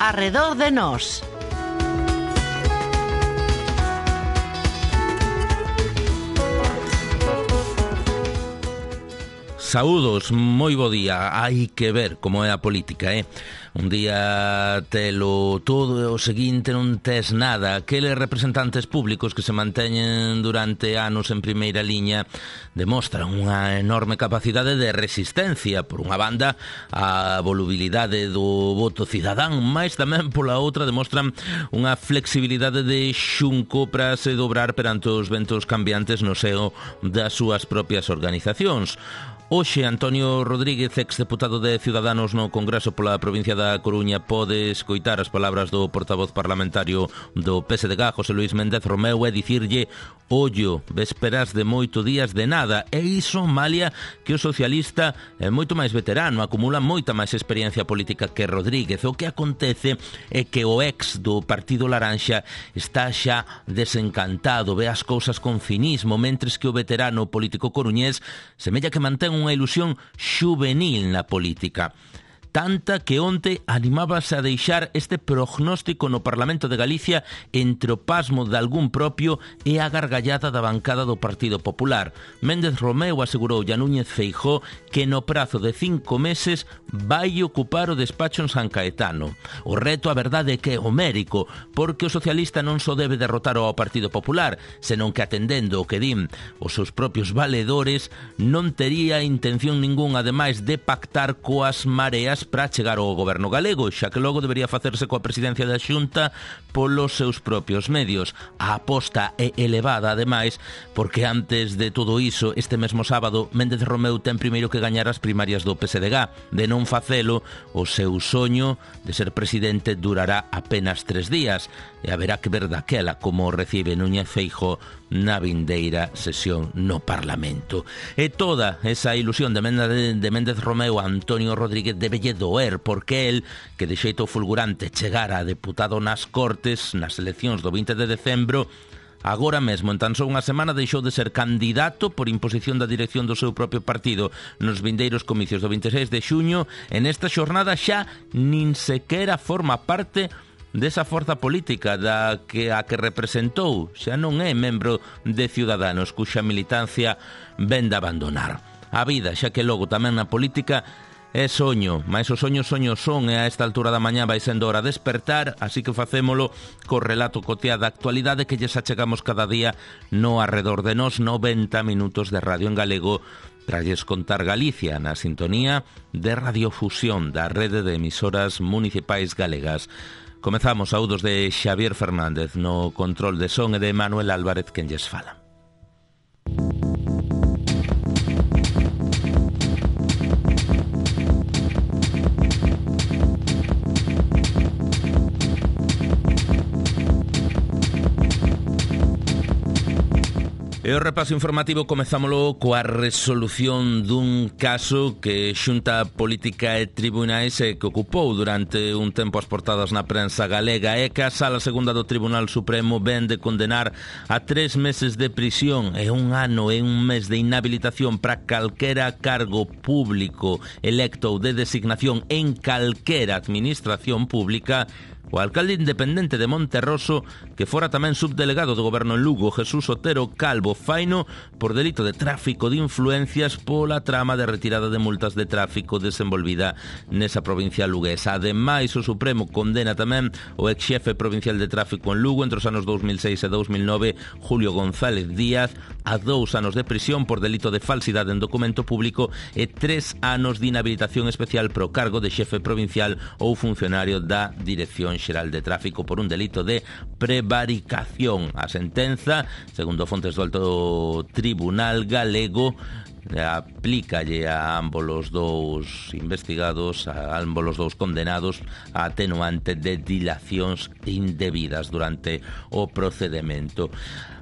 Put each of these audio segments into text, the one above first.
Arredor de nós. Saúdos, moi bo día. Hai que ver como é a política, Un día telo todo e o seguinte non tes nada. Aqueles representantes públicos que se manteñen durante anos en primeira liña demostran unha enorme capacidade de resistencia. Por unha banda, a volubilidade do voto cidadán, mas tamén pola outra demostran unha flexibilidade de xunco para se dobrar perante os ventos cambiantes no seo das súas propias organizacións. Hoxe, Antonio Rodríguez, exdeputado de Ciudadanos no Congreso pola provincia da Coruña, pode escoitar as palabras do portavoz parlamentario do PSDG, José Luis Méndez Romeu, e dicirlle: ollo, vésperas de moito días de nada. E iso malia que o socialista é moito máis veterano, acumula moita máis experiencia política que Rodríguez. O que acontece é que o ex do Partido Laranxa está xa desencantado, ve as cousas con cinismo, mentres que o veterano político coruñés semella que mantén unha ilusión xuvenil na política. Tanta que onte animábase a deixar este prognóstico no Parlamento de Galicia entre o pasmo de algún propio e a gargallada da bancada do Partido Popular. Méndez Romeu asegurou a Núñez Feijóo que no prazo de 5 meses vai ocupar o despacho en San Caetano. O reto, a verdade, é que é homérico, porque o socialista non só debe derrotar ao Partido Popular, senón que, atendendo o que din os seus propios valedores, non tería intención ningún, ademais, de pactar coas mareas para chegar ao goberno galego, xa que logo debería facerse coa presidencia da Xunta polos seus propios medios. A aposta é elevada, ademais, porque antes de todo iso, este mesmo sábado, Méndez Romeu ten primeiro que gañar as primarias do PSDG. De non facelo, o seu soño de ser presidente durará apenas 3 días, e haberá que ver daquela como recibe Núñez Feijóo na vindeira sesión no Parlamento. E toda esa ilusión de Méndez Romeu a Antonio Rodríguez debelle doer, porque el, que de xeito fulgurante chegara a deputado nas Cortes nas eleccións do 20 de decembro, agora mesmo, en tan só unha semana, deixou de ser candidato por imposición da dirección do seu propio partido nos vindeiros comicios do 26 de xuño. En esta xornada xa nin sequera forma parte desa forza política a que representou. Xa non é membro de Ciudadanos, cuxa militancia ven de abandonar. A vida, xa que logo tamén na política é soño, mas os soños son, e a esta altura da mañá vai sendo hora de despertar, así que facémolo co relato cotiá da actualidade que lles achegamos cada día no Arredor de Nós, 90 minutos de radio en galego para lles contar Galicia na sintonía de Radiofusión, da rede de emisoras municipais galegas. Comezamos. Saúdos de Xavier Fernández no control de son e de Manuel Álvarez, quen lles fala. E o repaso informativo comezámolo coa resolución dun caso que Xunta Política e Tribunais que ocupou durante un tempo as portadas na prensa galega. É que a Sala Segunda do Tribunal Supremo ven de condenar a 3 meses de prisión e 1 ano e 1 mes de inhabilitación para calquera cargo público electo ou de designación en calquera administración pública o alcalde independente de Monterroso, que fora tamén subdelegado do goberno en Lugo, Jesús Otero Calvo, faino por delito de tráfico de influencias pola trama de retirada de multas de tráfico desenvolvida nesa provincia luguesa. Ademais, o Supremo condena tamén o ex-xefe provincial de tráfico en Lugo entre os anos 2006 e 2009, Julio González Díaz, a 2 anos de prisión por delito de falsidade en documento público e 3 anos de inhabilitación especial pro cargo de xefe provincial ou funcionario da Dirección Xeral de Tráfico por un delito de prevaricación. A sentenza, segundo fontes do Alto Tribunal galego, aplícalle a ambos os dous investigados, a ambos os dous condenados, a atenuante de dilacións indebidas durante o procedimento.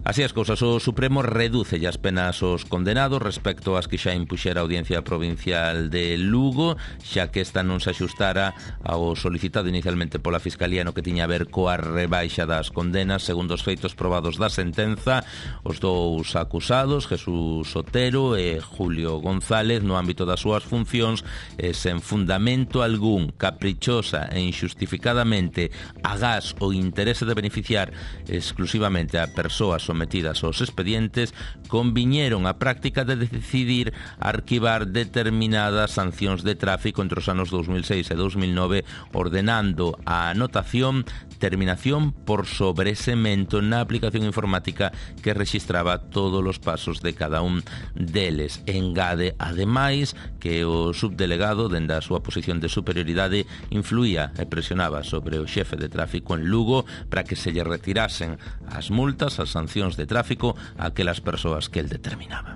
Así as cousas, o Supremo reduce as penas aos condenados respecto ás que xa impuxera a Audiencia Provincial de Lugo, xa que esta non se axustara ao solicitado inicialmente pola Fiscalía no que tiña a ver coa rebaixa das condenas. Segundo os feitos probados da sentenza, os dous acusados, Jesús Otero e Julio González, no ámbito das súas funcións, sen fundamento algún, caprichosa e injustificadamente agás o interese de beneficiar exclusivamente a persoas sometidas aos expedientes, conviñeron a práctica de decidir arquivar determinadas sancións de tráfico entre os anos 2006 e 2009, ordenando a anotación terminación por sobresemento na aplicación informática que rexistraba todos os pasos de cada un deles. Engade, ademais, que o subdelegado, dende a súa posición de superioridade, influía e presionaba sobre o xefe de tráfico en Lugo para que se lle retirasen as multas, as sancións de tráfico a aquelas persoas que el determinaba.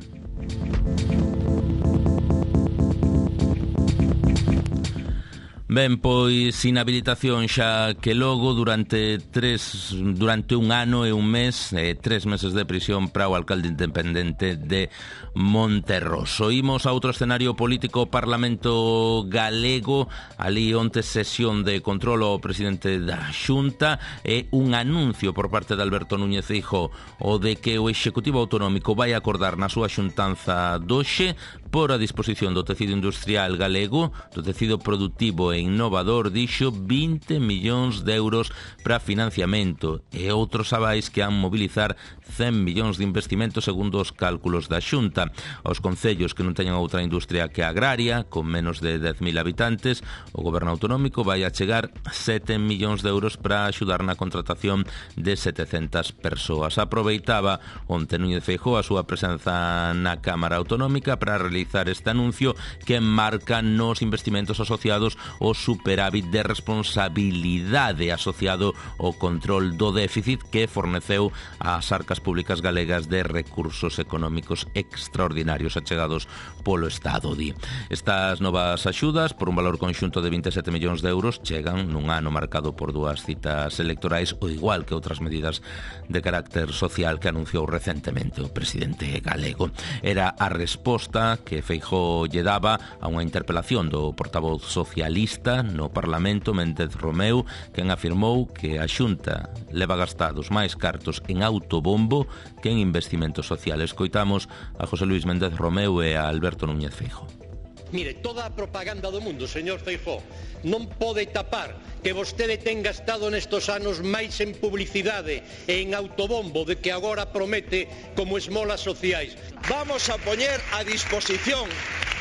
Ben, pois inhabilitación xa que logo durante un ano e un mes, 3 meses de prisión para o alcalde independente de Monterroso. Imos a outro escenario político, Parlamento galego, ali onte sesión de control ao presidente da Xunta e un anuncio por parte de Alberto Núñez Feijóo o de que o Executivo Autonómico vai acordar na súa xuntanza doxe por a disposición do tecido industrial galego, do tecido productivo e innovador, dixo 20 millóns de euros para financiamento e outros avais que han mobilizar 100 millóns de investimento segundo os cálculos da Xunta. Aos concellos que non teñan outra industria que agraria, con menos de 10.000 habitantes, o Goberno Autonómico vai a chegar 7 millóns de euros para axudar na contratación de 700 persoas. Aproveitaba onte Núñez Feijóo a súa presenza na Cámara Autonómica para realizar este anuncio que marca nos investimentos asociados ao superávit de responsabilidade asociado ao control do déficit que forneceu ás arcas públicas galegas de recursos económicos extraordinarios achegados polo Estado, di. Estas novas axudas, por un valor conxunto de 27 millóns de euros, chegan nun ano marcado por dúas citas electorais, o igual que outras medidas de carácter social que anunciou recentemente o presidente galego. Era a resposta que Feijóo lle daba a unha interpelación do portavoz socialista no Parlamento, Méndez Romeu, quen afirmou que a Xunta leva gastados máis cartos en autobombo que en investimentos sociales. Coitamos a José Luis Méndez Romeu e a Alberto Núñez Feijóo. Mire, toda a propaganda do mundo, señor Feijóo, non pode tapar que vostede ten gastado nestos anos máis en publicidade e en autobombo de que agora promete como esmolas sociais. Vamos a poñer a disposición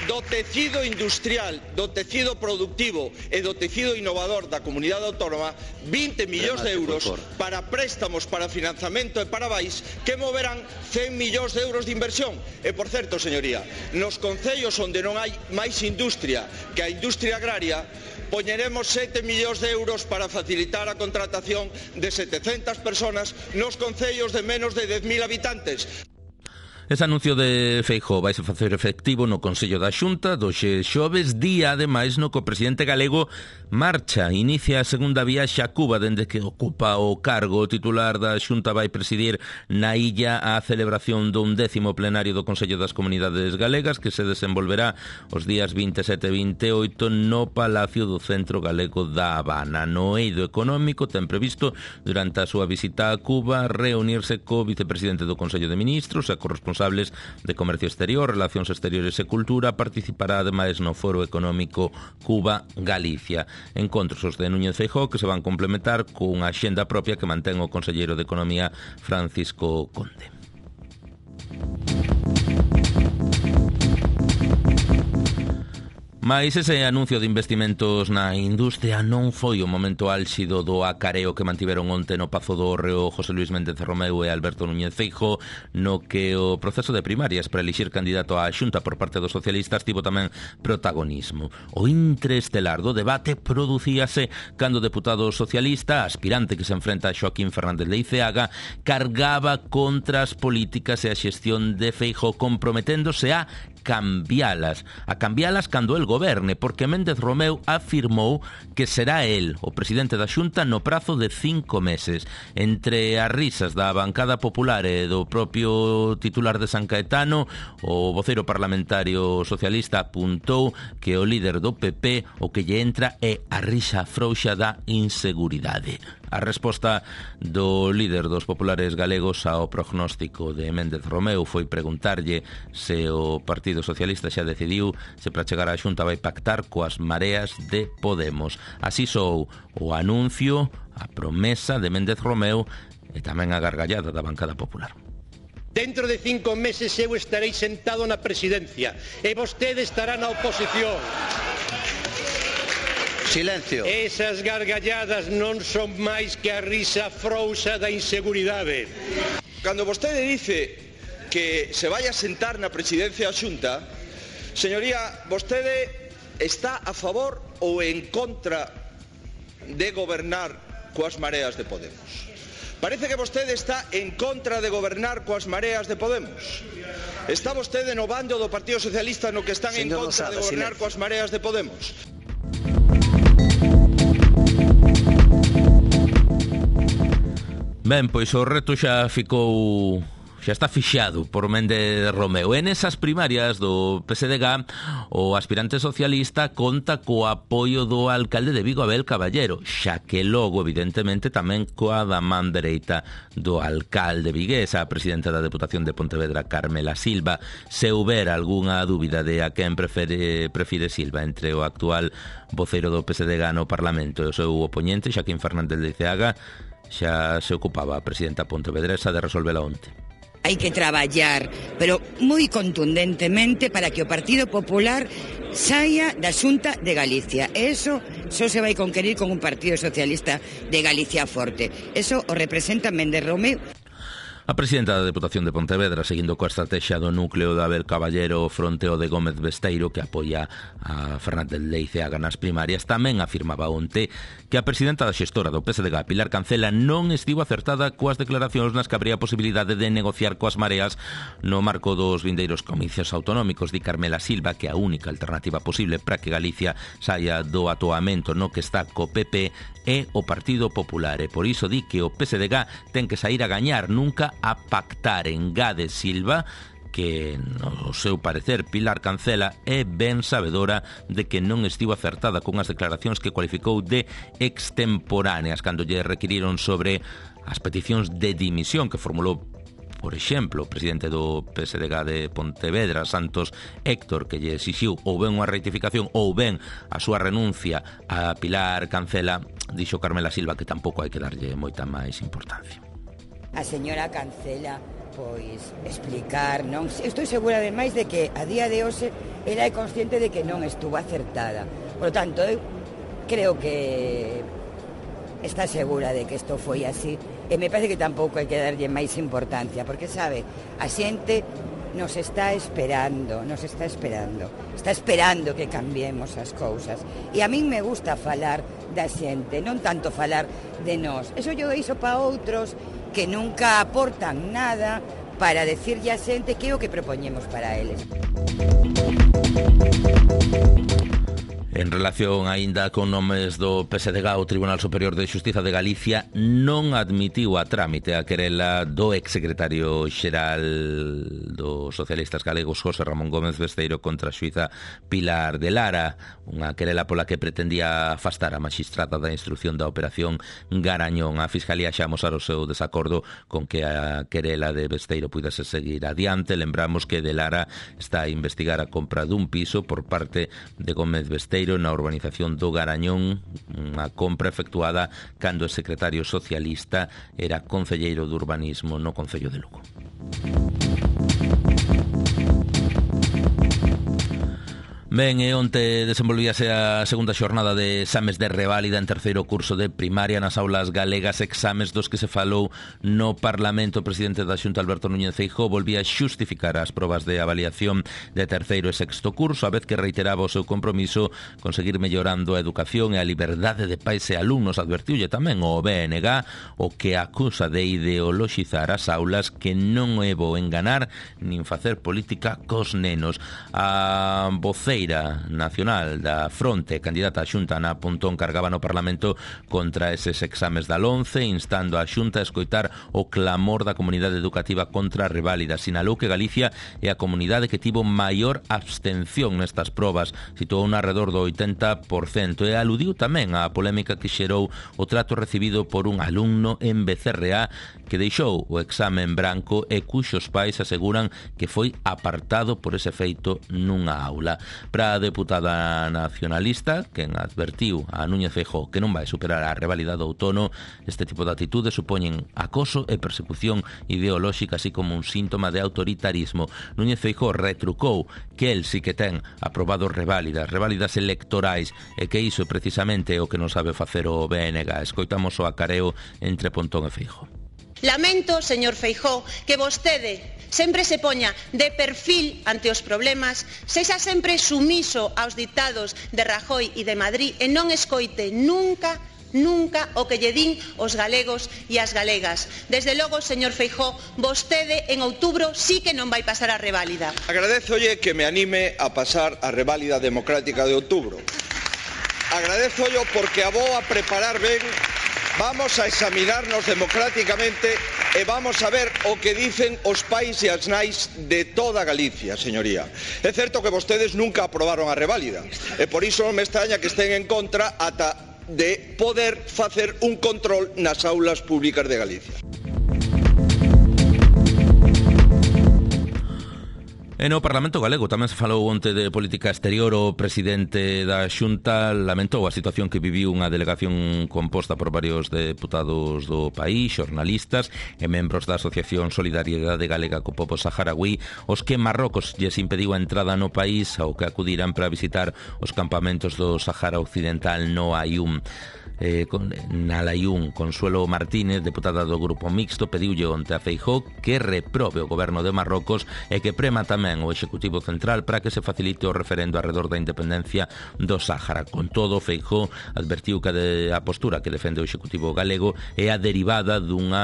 do tecido industrial, do tecido productivo e do tecido innovador da comunidade autónoma 20 millóns de euros para préstamos, para financiamento e para vais que moverán 100 millóns de euros de inversión. E, por certo, señoría, nos concellos onde non hai máis industria que a industria agraria, poñeremos 7 millóns de euros para facilitar a contratación de 700 personas nos concellos de menos de 10.000 habitantes. Ese anuncio de Feijóo vai se facer efectivo no Consello da Xunta do xoves, día ademais no que o presidente galego inicia a segunda viaxe a Cuba dende que ocupa o cargo. O titular da Xunta vai presidir na illa a celebración do 11º plenario do Consello das Comunidades Galegas que se desenvolverá os días 27 e 28 no Palacio do Centro Galego da Habana. No eido económico ten previsto durante a súa visita a Cuba reunirse co vicepresidente do Consello de Ministros e corresponsables de Comercio Exterior, Relacións Exteriores e Cultura. Participará ademais no Foro Económico Cuba-Galicia. Encontros os de Núñez Feijóo que se van complementar cunha axenda propia que mantén o conselleiro de Economía Francisco Conde. Mais ese anuncio de investimentos na industria non foi o momento álxido do acareo que mantiveron onte no Pazo do Hórreo José Luis Méndez Romeu e Alberto Núñez Feijóo, no que o proceso de primarias para elixir candidato á Xunta por parte dos socialistas tivo tamén protagonismo. O intraestelar do debate producíase cando o deputado socialista, aspirante que se enfrenta a Xoaquín Fernández Leiceaga, cargaba contra as políticas e a xestión de Feijóo, comprometéndose a cambialas cando el goberne, porque Méndez Romeu afirmou que será el o presidente da Xunta no prazo de 5 meses. Entre as risas da bancada popular e do propio titular de San Caetano, o voceiro parlamentario socialista apuntou que o líder do PP o que lle entra é a risa frouxa da inseguridade. A resposta do líder dos populares galegos ao prognóstico de Méndez Romeu foi preguntarlle se o Partido Socialista xa decidiu se para chegar á Xunta vai pactar coas mareas de Podemos. Así sou o anuncio, a promesa de Méndez Romeu e tamén a gargallada da bancada popular. Dentro de 5 meses eu estarei sentado na presidencia e vostede estará na oposición. Silencio. Esas gargalladas non son máis que a risa frouxa da inseguridade. Cando vostede dice que se vai a sentar na presidencia da Xunta, señoría, vostede está a favor ou en contra de gobernar coas mareas de Podemos? Parece que vostede está en contra de gobernar coas mareas de Podemos. Está vostede no bando do Partido Socialista no que están en contra de gobernar coas mareas de Podemos? Ben, pois o reto xa está fixado por Méndez Romeu. En esas primarias do PSDG, o aspirante socialista conta co apoio do alcalde de Vigo, Abel Caballero, xa que logo, evidentemente, tamén coa da man dereita do alcalde vigués, a presidenta da Deputación de Pontevedra, Carmela Silva. Se houber algunha dúbida de a quen prefire Silva entre o actual voceiro do PSDG no Parlamento e o seu opoñente, Xaquín Fernández de Ceaga, xa se ocupaba a presidenta pontevedresa de resolvela onte. Hai que traballar, pero moi contundentemente para que o Partido Popular saia da Xunta de Galicia. Eso só se vai conquerir con un Partido Socialista de Galicia forte. Eso o representa Méndez Romeu. A presidenta da Deputación de Pontevedra, seguindo coa estrategia do núcleo de Abel Caballero fronte ao de Gómez Besteiro, que apoia a Fernández Leiceaga nas primarias, tamén afirmaba onte que a presidenta da xestora do PSDG, Pilar Cancela, non estivo acertada coas declaracións nas que habría posibilidade de negociar coas mareas no marco dos vindeiros comicios autonómicos. Di Carmela Silva que a única alternativa posible para que Galicia saia do atoamento no que está co PP é o Partido Popular, e por iso di que o PSDG ten que sair a gañar, nunca a pactar. Engade Silva que, no seu parecer, Pilar Cancela é ben sabedora de que non estivo acertada con as declaracións que cualificou de extemporáneas cando lle requiriron sobre as peticións de dimisión que formulou, por exemplo, o presidente do PSDG de Pontevedra, Santos Héctor, que lle exixiu ou ben unha rectificación ou ben a súa renuncia a Pilar Cancela. Dixo Carmela Silva que tampouco hai que darlle moita máis importancia. A señora Cancela, pois, explicar, non? Estou segura ademais de que a día de hoxe ela é consciente de que non estuvo acertada. Por lo tanto, eu creo que está segura de que isto foi así, e me parece que tampouco hai que darlle máis importancia, porque, sabe, a xente nos está esperando, está esperando que cambiemos as cousas. E a min me gusta falar da xente, non tanto falar de nós. Eso yo iso para outros que nunca aportan nada para decirlle a xente que é o que propoñemos para eles. En relación aínda con nomes do PSDG, o Tribunal Superior de Xustiza de Galicia non admitiu a trámite a querela do exsecretario xeral dos socialistas galegos, José Ramón Gómez Besteiro, contra a xuíza Pilar de Lara, unha querela pola que pretendía afastar a maxistrada da instrucción da operación Garañón. A Fiscalía xa amosar o seu desacordo con que a querela de Besteiro pudese seguir adiante. Lembramos que de Lara está a investigar a compra dun piso por parte de Gómez Besteiro na urbanización do Garañón, unha compra efectuada cando o secretario socialista era concelleiro de urbanismo no Concello de Lugo. Ben, e onte desenvolvíase a segunda xornada de exames de reválida en terceiro curso de primaria nas aulas galegas, exames dos que se falou no Parlamento. O presidente da Xunta, Alberto Núñez Feijóo, volvía a xustificar as probas de avaliación de terceiro e sexto curso, a vez que reiteraba o seu compromiso conseguir mellorando a educación e a liberdade de pais e alumnos. Advertiulle tamén o BNG, o que acusa de ideoloxizar as aulas, que non é bo enganar nin facer política cos nenos. A voceira nacional da Fronte, candidata a Xunta, Ana Pontón, cargaba no Parlamento contra eses exames da LOMCE, instando a Xunta a escoitar o clamor da comunidade educativa contra a reválida. Sinalou que Galicia é a comunidade que tivo maior abstención nestas probas, situou un alrededor do 80%, e aludiu tamén á polémica que xerou o trato recibido por un alumno en Becerreá que deixou o exame en branco e cuxos pais aseguran que foi apartado por ese feito nunha aula. Para a deputada nacionalista, quen advertiu a Núñez Feijóo que non vai superar a reválida do outono, este tipo de atitudes supoñen acoso e persecución ideolóxica, así como un síntoma de autoritarismo. Núñez Feijóo retrucou que el sí que ten aprobado reválidas electorais, e que iso precisamente é o que non sabe facer o BNG. Escoitamos o acareo entre Pontón e Feijóo. Lamento, señor Feijóo, que vostede sempre se poña de perfil ante os problemas, sexa sempre sumiso aos ditados de Rajoy e de Madrid e non escoite nunca o que lle din os galegos e as galegas. Desde logo, señor Feijóo, vostede en outubro sí que non vai pasar a reválida. Agradézolle que me anime a pasar a reválida democrática de outubro. Agradézollo porque a vou a preparar ben. Vamos a examinarnos democráticamente e vamos a ver o que dicen os pais e as nais de toda Galicia, señoría. É certo que vostedes nunca aprobaron a reválida e por iso non me extraña que estén en contra ata de poder facer un control nas aulas públicas de Galicia. E no Parlamento galego tamén se falou onte de política exterior. O presidente da Xunta lamentou a situación que viviu unha delegación composta por varios deputados do país, xornalistas e membros da Asociación Solidariedade Galega co Pobo Saharaui, os que Marrocos lles impediu a entrada no país ao que acudiran para visitar os campamentos do Sahara Occidental no Ayun. Na Layún, Consuelo Martínez, deputada do Grupo Mixto, pediulle onte a Feijóo que reprobe o goberno de Marrocos e que prema tamén o Executivo Central para que se facilite o referendo alrededor da independencia do Sáhara. Con todo, Feijóo advertiu que a postura que defende o Executivo galego é a derivada dun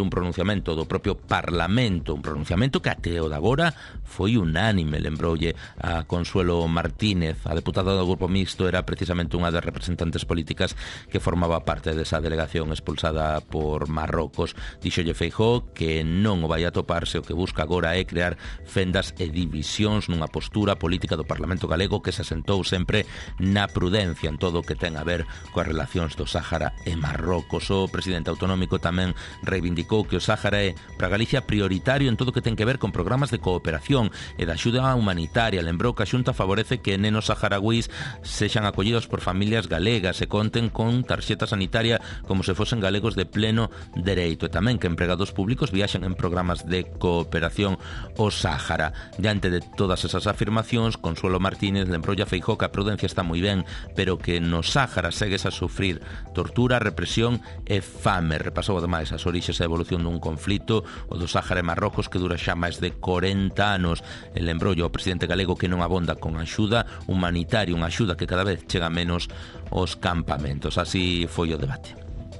pronunciamento do propio Parlamento, un pronunciamento que até o de agora foi unánime. Lembroulle a Consuelo Martínez, a deputada do Grupo Mixto, era precisamente unha das representantes políticas que formaba parte desa delegación expulsada por Marrocos. Díxolle Feijóo que non o vai a toparse, o que busca agora é crear fendas e divisións nunha postura política do Parlamento galego que se asentou sempre na prudencia en todo o que ten a ver coas relacións do Sáhara e Marrocos. O presidente autonómico tamén reivindicou que o Sáhara é para Galicia prioritario en todo o que ten que ver con programas de cooperación e de axuda humanitaria. Lembrou que a Xunta favorece que nenos saharauís sexan acollidos por familias galegas e conten con tarxeta sanitaria como se fosen galegos de pleno dereito, e tamén que empregados públicos viaxen en programas de cooperación ao Sáhara. Diante de todas esas afirmacións, Consuelo Martínez lembrou a Feijóo que a prudencia está moi ben, pero que no Sáhara segues a sufrir tortura, represión e fame. Repasou ademais as orixes e a evolución dun conflito, o do Sáhara e Marrocos, que dura xa máis de 40 anos. E lembrou ao presidente galego que non abonda con axuda humanitaria, unha axuda que cada vez chega menos aos campamentos. Así foi o debate.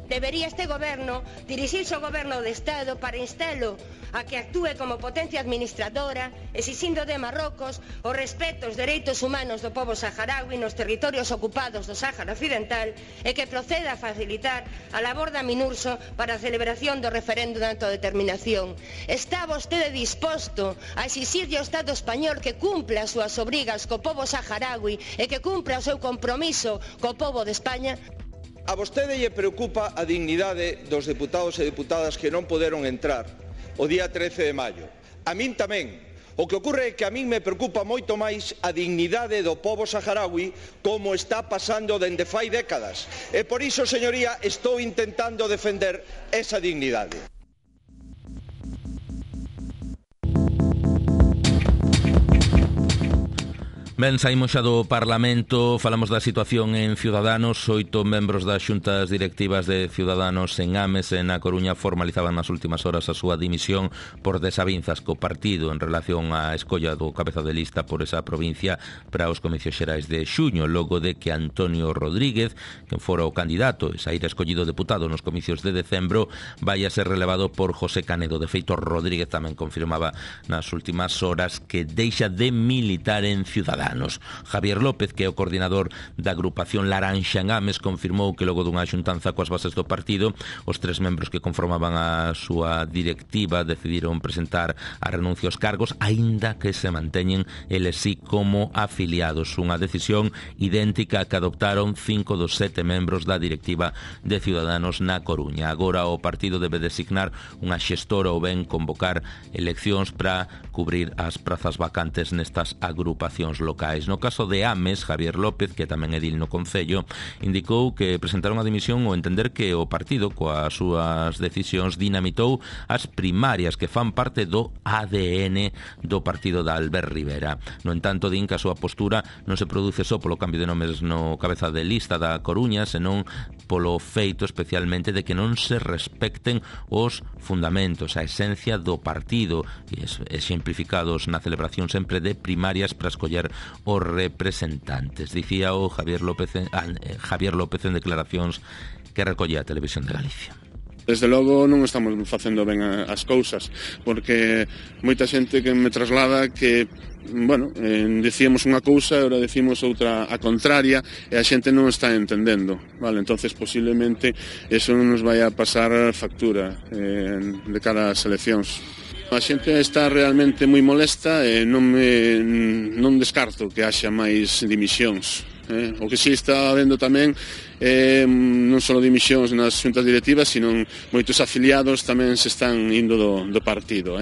Debería este goberno dirixirse ao goberno do Estado para instalo a que actúe como potencia administradora, exixindo de Marrocos o respeto aos dereitos humanos do pobo saharaui nos territorios ocupados do Sáhara Occidental e que proceda a facilitar a labor da Minurso para a celebración do referendo de autodeterminación. Está vostede disposto a exixirlle ao Estado español que cumpla as súas obrigas co pobo saharaui e que cumpra o seu compromiso co pobo de España? A vostede lle preocupa a dignidade dos deputados e deputadas que non poderon entrar o día 13 de maio. A min tamén. O que ocorre é que a min me preocupa moito máis a dignidade do pobo saharaui, como está pasando dende fai décadas. E por iso, señoría, estou intentando defender esa dignidade. Ben, saímos xa do Parlamento, falamos da situación en Ciudadanos. 8 membros das xuntas directivas de Ciudadanos en Ames e na Coruña formalizaban nas últimas horas a súa dimisión por desavinzas co partido en relación á escolla do cabeza de lista por esa provincia para os comicios xerais de xuño, logo de que Antonio Rodríguez, que fora o candidato e saíra escollido deputado nos comicios de decembro, vai a ser relevado por José Canedo. De feito, Rodríguez tamén confirmaba nas últimas horas que deixa de militar en Ciudadanos. Javier López, que é o coordinador da agrupación Laranxa en Ames, confirmou que logo dunha xuntanza coas bases do partido, os 3 membros que conformaban a súa directiva decidiron presentar a renuncia aos cargos, aínda que se manteñen eles sí como afiliados. Unha decisión idéntica a que adoptaron 5 dos 7 membros da directiva de Ciudadanos na Coruña. Agora o partido debe designar unha xestora ou ben convocar eleccións para cubrir as prazas vacantes nestas agrupacións locais. No caso de Ames, Javier López, que tamén é edil no Concello, indicou que presentaron a dimisión ao entender que o partido, coas súas decisións, dinamitou as primarias que fan parte do ADN do partido de Albert Rivera. No entanto, din que a súa postura non se produce só polo cambio de nomes no cabeza de lista da Coruña, senón polo feito especialmente de que non se respecten os fundamentos, a esencia do partido, exemplificados na celebración sempre de primarias para escoller os representantes. Dicía o Javier López en declaracións que recolle a Televisión de Galicia. Desde logo non estamos facendo ben as cousas, porque moita xente que me traslada que decíamos unha cousa e agora decimos outra a contraria e a xente non está entendendo, vale? Entonces posiblemente eso non nos vai a pasar factura de cara ás eleccións. A xente está realmente moi molesta e non descarto que haxa máis dimisións. O que si está habendo tamén non só dimisións nas xuntas directivas, sino moitos afiliados tamén se están indo do partido.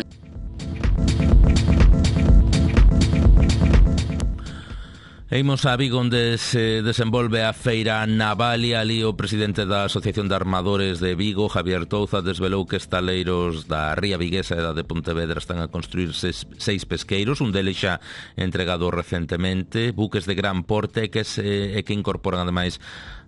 Imos a Vigo, onde se desenvolve a feira Navalia. Ali o presidente da Asociación de Armadores de Vigo, Javier Touza, desvelou que estaleiros da Ría Viguesa e da de Pontevedra están a construir 6 pesqueiros, un deles xa entregado recentemente, buques de gran porte que incorporan ademais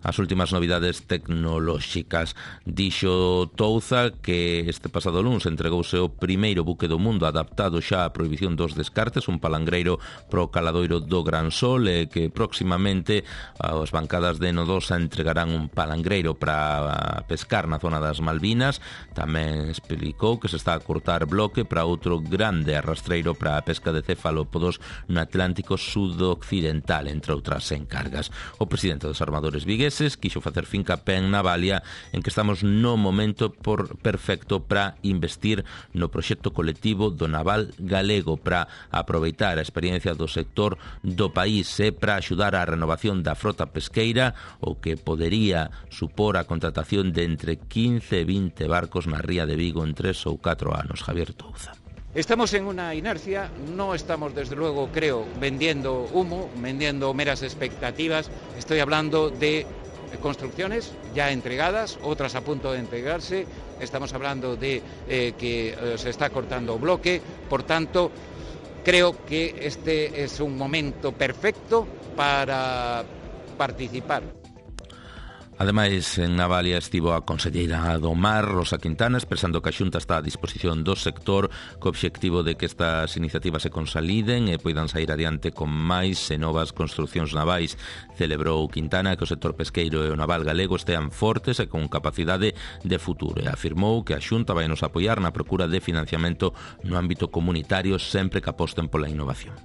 as últimas novidades tecnolóxicas. Dixo Touza que este pasado luns entregouse o primeiro buque do mundo adaptado xa á prohibición dos descartes, un palangreiro pro caladoiro do Gran Sol, e que próximamente as bancadas de Nodosa entregarán un palangreiro para pescar na zona das Malvinas. Tamén explicou que se está a cortar bloque para outro grande arrastreiro para a pesca de cefalópodos no Atlántico sudoccidental, entre outras encargas. O presidente dos armadores vigueses quixo facer fincapé en Navalia, en que estamos no momento perfecto para investir no proxecto colectivo do naval galego, para aproveitar a experiencia do sector do país e para axudar á renovación da frota pesqueira, o que podería supor a contratación de entre 15 e 20 barcos na ría de Vigo en 3 ou 4 anos. Javier Touza. Estamos en una inercia, no estamos desde luego, creo, vendiendo humo, vendiendo meras expectativas. Estoy hablando de construcciones ya entregadas, otras a punto de entregarse. Estamos hablando de que se está cortando bloque. Por tanto, creo que este es un momento perfecto para participar. Ademais, en Navalia estivo a conselleira do Mar, Rosa Quintana, expresando que a Xunta está a disposición do sector co obxectivo de que estas iniciativas se consoliden e poidan sair adiante con máis e novas construcións navais. Celebrou Quintana que o sector pesqueiro e o naval galego estean fortes e con capacidade de futuro, e afirmou que a Xunta vai nos apoiar na procura de financiamento no ámbito comunitario sempre que aposten pola innovación.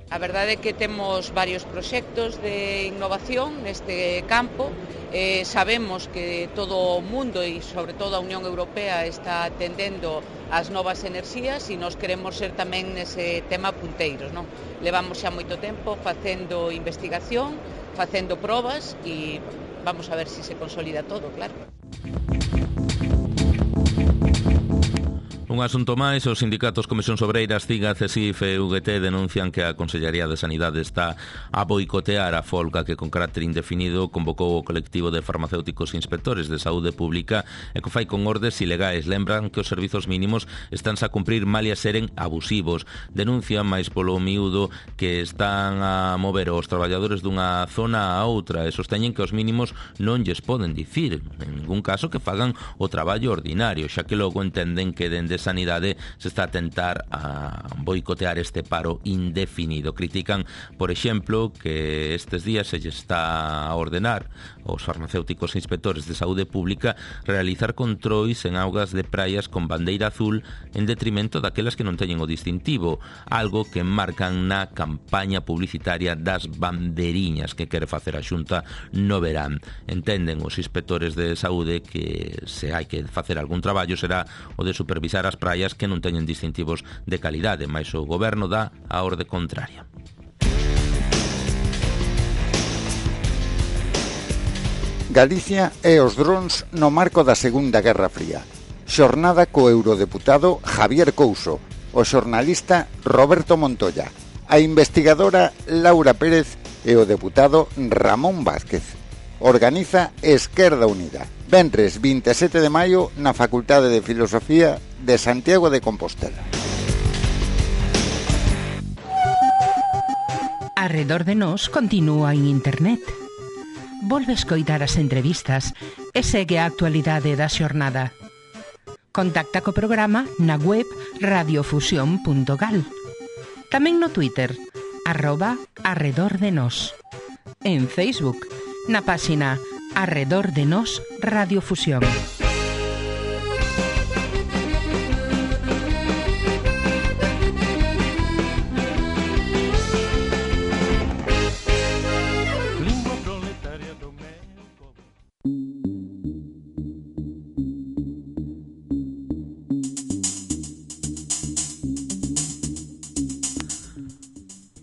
A verdade é que temos varios proxectos de innovación neste campo. Sabemos que todo o mundo e sobre todo a Unión Europea está atendendo ás novas enerxías e nós queremos ser tamén nese tema punteiros, non? Levamos xa moito tempo facendo investigación, facendo probas e vamos a ver se se consolida todo, claro. Un asunto máis, os sindicatos Comisións Obreiras, CIGA, CESIF e UGT denuncian que a Consellería de Sanidade está a boicotear a folga que con carácter indefinido convocou o colectivo de farmacéuticos inspectores de saúde pública e que fai con ordes ilegais. Lembran que os servizos mínimos estánse a cumprir malia seren abusivos. Denuncian máis polo miúdo que están a mover os traballadores dunha zona a outra e sosteñen que os mínimos non lles poden dicir, en ningún caso, que fagan o traballo ordinario, xa que logo entenden que dende Sanidade se está a tentar a boicotear este paro indefinido. Critican, por exemplo, que estes días se lle está a ordenar aos farmacéuticos e inspectores de saúde pública realizar controis en augas de praias con bandeira azul en detrimento daquelas que non teñen o distintivo, algo que marcan na campaña publicitaria das banderiñas que quere facer a Xunta no verán. Entenden os inspectores de saúde que se hai que facer algún traballo será o de supervisar as praias que non teñen distintivos de calidade, mais o goberno dá a orde contraria. Galicia e os drons no marco da Segunda Guerra Fría. Xornada co eurodeputado Javier Couso, o xornalista Roberto Montoya, a investigadora Laura Pérez e o deputado Ramón Vázquez. Organiza Esquerda Unida. Venres 27 de maio na Facultade de Filosofía de Santiago de Compostela. Arredor de nós continúa en internet. Volve escoitar as entrevistas e segue a actualidade da xornada. Contacta co programa na web radiofusión.gal. Tamén no Twitter, @arredordenos. En Facebook, na páxina Arredor de Nós Radiofusión.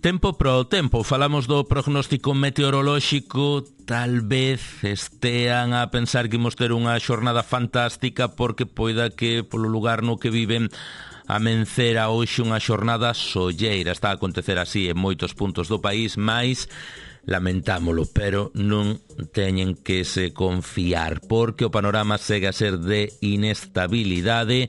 Tempo pro tempo, falamos do prognóstico meteorolóxico. Tal vez estean a pensar que imos ter unha xornada fantástica porque poida que polo lugar no que viven amencera hoxe unha xornada solleira. Está a acontecer así en moitos puntos do país, mais lamentámolo, pero non teñen que se confiar porque o panorama segue a ser de inestabilidade.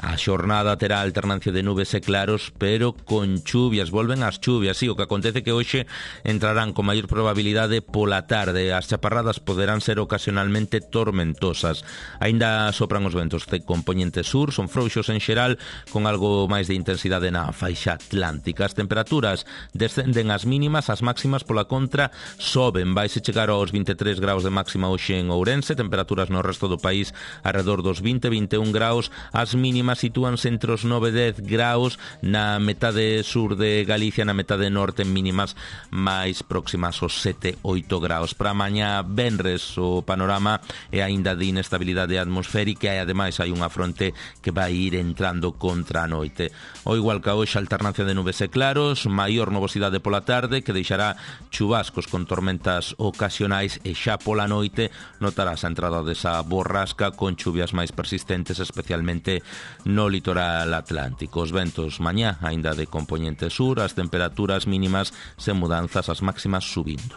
A xornada terá alternancia de nubes e claros, pero con chuvias, volven as chuvias. Sí, o que acontece que hoxe entrarán con maior probabilidade pola tarde. As chaparradas poderán ser ocasionalmente tormentosas. Aínda sopran os ventos de compoñente sur, son frouxos en xeral, con algo máis de intensidade na faixa atlántica. As temperaturas descenden as mínimas, as máximas pola contra soben. Vaise chegar aos 23 graus de máxima hoxe en Ourense, temperaturas no resto do país alrededor dos 20-21 graus, as mínimas sitúanse entre os 9-10 graus na metade sur de Galicia, na metade norte mínimas máis próximas aos 7-8 graus. Para mañá venres o panorama é aínda de inestabilidade atmosférica e ademais hai unha fronte que vai ir entrando contra a noite. O igual que hoxe, alternancia de nubes e claros, maior nubosidade pola tarde que deixará chubascos con tormentas ocasionais e xa pola noite notarás a entrada desa borrasca con chuvias máis persistentes, especialmente no litoral atlántico. Os ventos mañá aínda de compoñente sur, as temperaturas mínimas sen mudanzas, as máximas subindo.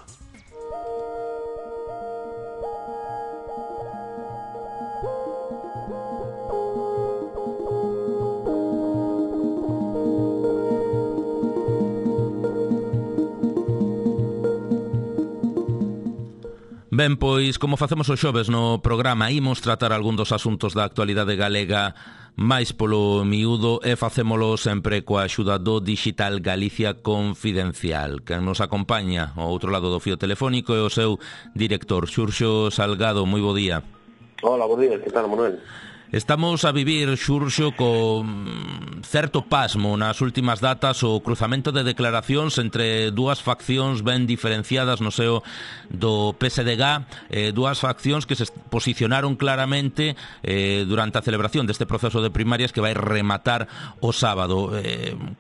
Ben, pois, como facemos os xoves no programa, imos tratar algún dos asuntos da actualidade galega máis polo miúdo e facémolo sempre coa axuda do Digital Galicia Confidencial. Quen nos acompaña ao outro lado do fío telefónico é o seu director, Xurxo Salgado. Moi bo día. Hola, bo día, que tal, Manuel? Estamos a vivir, Xurxo, con certo pasmo nas últimas datas o cruzamento de declaracións entre dúas faccións ben diferenciadas no seo do PSDG, dúas faccións que se posicionaron claramente durante a celebración deste proceso de primarias que vai rematar o sábado.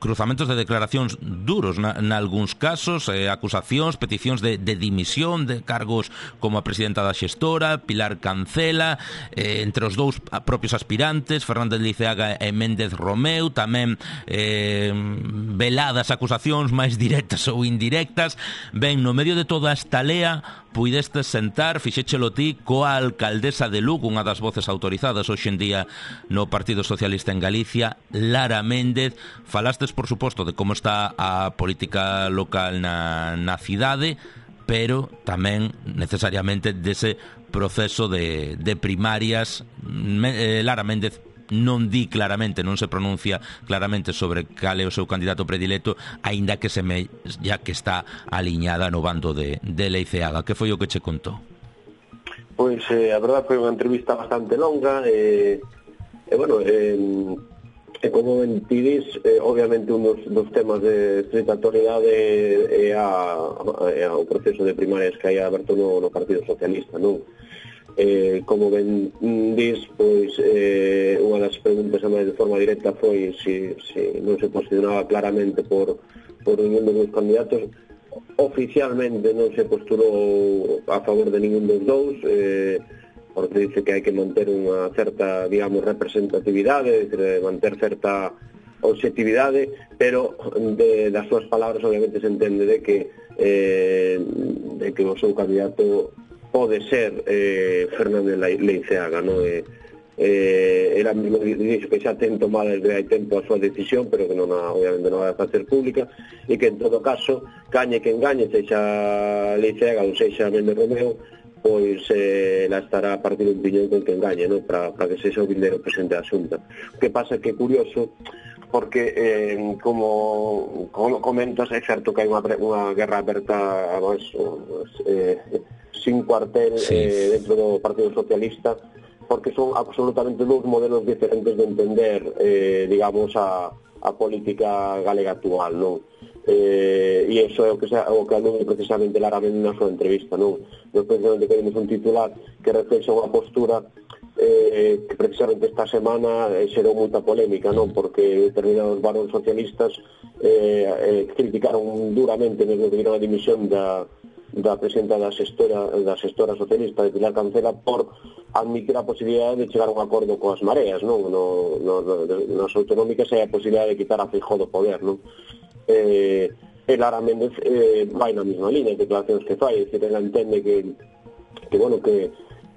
Cruzamentos de declaracións duros nalgúns casos, acusacións, peticións de dimisión de cargos como a presidenta da xestora, Pilar Cancela, entre os dous a propia propios aspirantes, Fernández Leiceaga e Méndez Romeu, tamén veladas acusacións máis directas ou indirectas. Ben, no medio de toda esta lea, puidestes sentar, fixéchelo ti, coa alcaldesa de Lugo, unha das voces autorizadas hoxe en día no Partido Socialista en Galicia, Lara Méndez. Falastes, por suposto, de como está a política local na cidade, pero tamén necesariamente dese proceso de primarias. Lara Méndez non di claramente, non se pronuncia claramente sobre cal é o seu candidato predilecto, aínda que ya que está aliñada no bando de Leiceaga. Que foi o que che contou? Pois a verdade foi unha entrevista bastante longa bueno, como mentidis, obviamente un dos temas de estrita actualidade é o proceso de primarias que hai aberto no Partido Socialista, non? Como ben dis, pois unha das preguntas máis de forma directa foi se non se posicionaba claramente por ningún dos candidatos. Oficialmente non se postulou a favor de ningún dos dous, porque dice que hai que manter unha certa, digamos, representatividade, manter certa objetividade, pero das súas palabras obviamente se entende de que o seu candidato pode ser Fernández Leiceaga, non? Ela mesmo dixo que xa ten tomado desde hai tempo a súa decisión, pero que obviamente non vai facer pública, e que en todo caso, gañe quen gañe, sexa Leiceaga ou sexa Méndez Romeu, pois ela estará a partir un piñón con quen gañe, non? Para que sexa o vindeiro presidente da Xunta. O que pasa que é curioso, porque como comentas, é certo que hai unha guerra aberta sin cuartel dentro do Partido Socialista, porque son absolutamente dous modelos diferentes de entender, digamos, a política galega actual, non? E iso é o que alude precisamente claramente na súa entrevista, non? Nós precisamente queremos un titular que reflexa unha postura que precisamente esta semana xerou moita polémica, non? Porque determinados varóns socialistas criticaron duramente, mesmo que viron a dimisión da presidenta da xestora socialista de Pilar Cancela por admitir a posibilidade de chegar a un acordo coas mareas, non? Nas autonómicas hai a posibilidade de quitar a Feijóo do poder, non? Lara Méndez vai na mesma línea de declaracións que fai, é dicir, ela entende que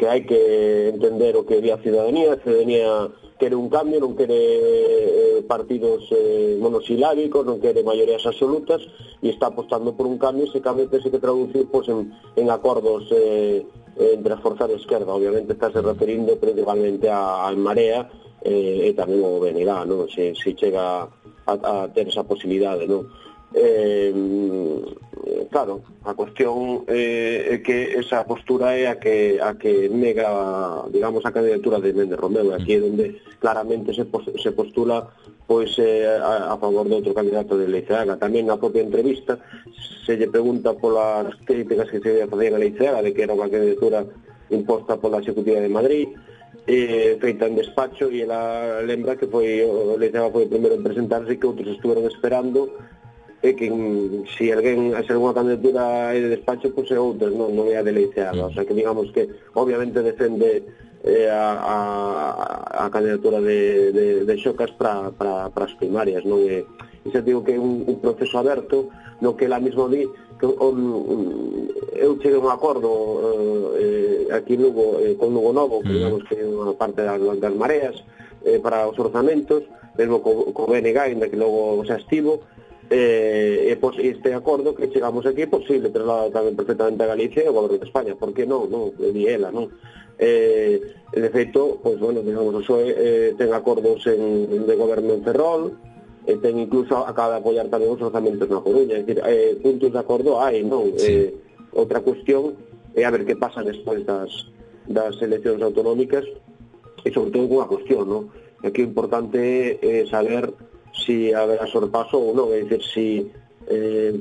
hai que entender o que di a ciudadanía quere un cambio, non quere partidos monosilábicos, non quere maiorías absolutas, e está apostando por un cambio. Ese cambio tese que traducir en acordos entre as forzas de esquerda. Obviamente está se referindo principalmente a Marea e tamén o BNG, non? Se chega a ter esa posibilidade, non? Claro, a cuestión é que esa postura é a que nega, digamos, a candidatura de Méndez Romeu. Aquí é onde claramente se postula pois a favor de outro candidato de Leiceaga. Tamén na propia entrevista se lle pregunta polas críticas que se facían a Leiceaga de que era unha candidatura imposta pola Executiva de Madrid, feita en despacho, e ela lembra que Leiceaga foi o primeiro en presentarse e que outros estuveron esperando, e que se alguna candidatura é de despacho, pois é outras, non é a de Leiceaga. O sea que digamos que obviamente defende a candidatura de Xocas para as primarias, non? E xa digo que é un proceso aberto no que ela mesmo di que eu cheguei a un acordo aquí en Lugo, con Lugo Novo, que digamos que é unha parte das mareas para os orzamentos, mesmo co BNG, ainda que logo xa estivo, este acordo que chegamos aquí é posible trasladar tamén perfectamente a Galicia e o goberno de España. Por que non? Di ela, non? De feito, pois, bueno, digamos, o PSOE ten acordos de goberno en Ferrol, ten incluso acaba de apoiar tamén os orzamentos na Coruña. É dicir, puntos de acordo hai, non? Outra cuestión é a ver que pasa despois das eleccións autonómicas, e sobre todo unha cuestión, non? Aquí o importante é saber si haberá sorpaso ou non, é dicir, si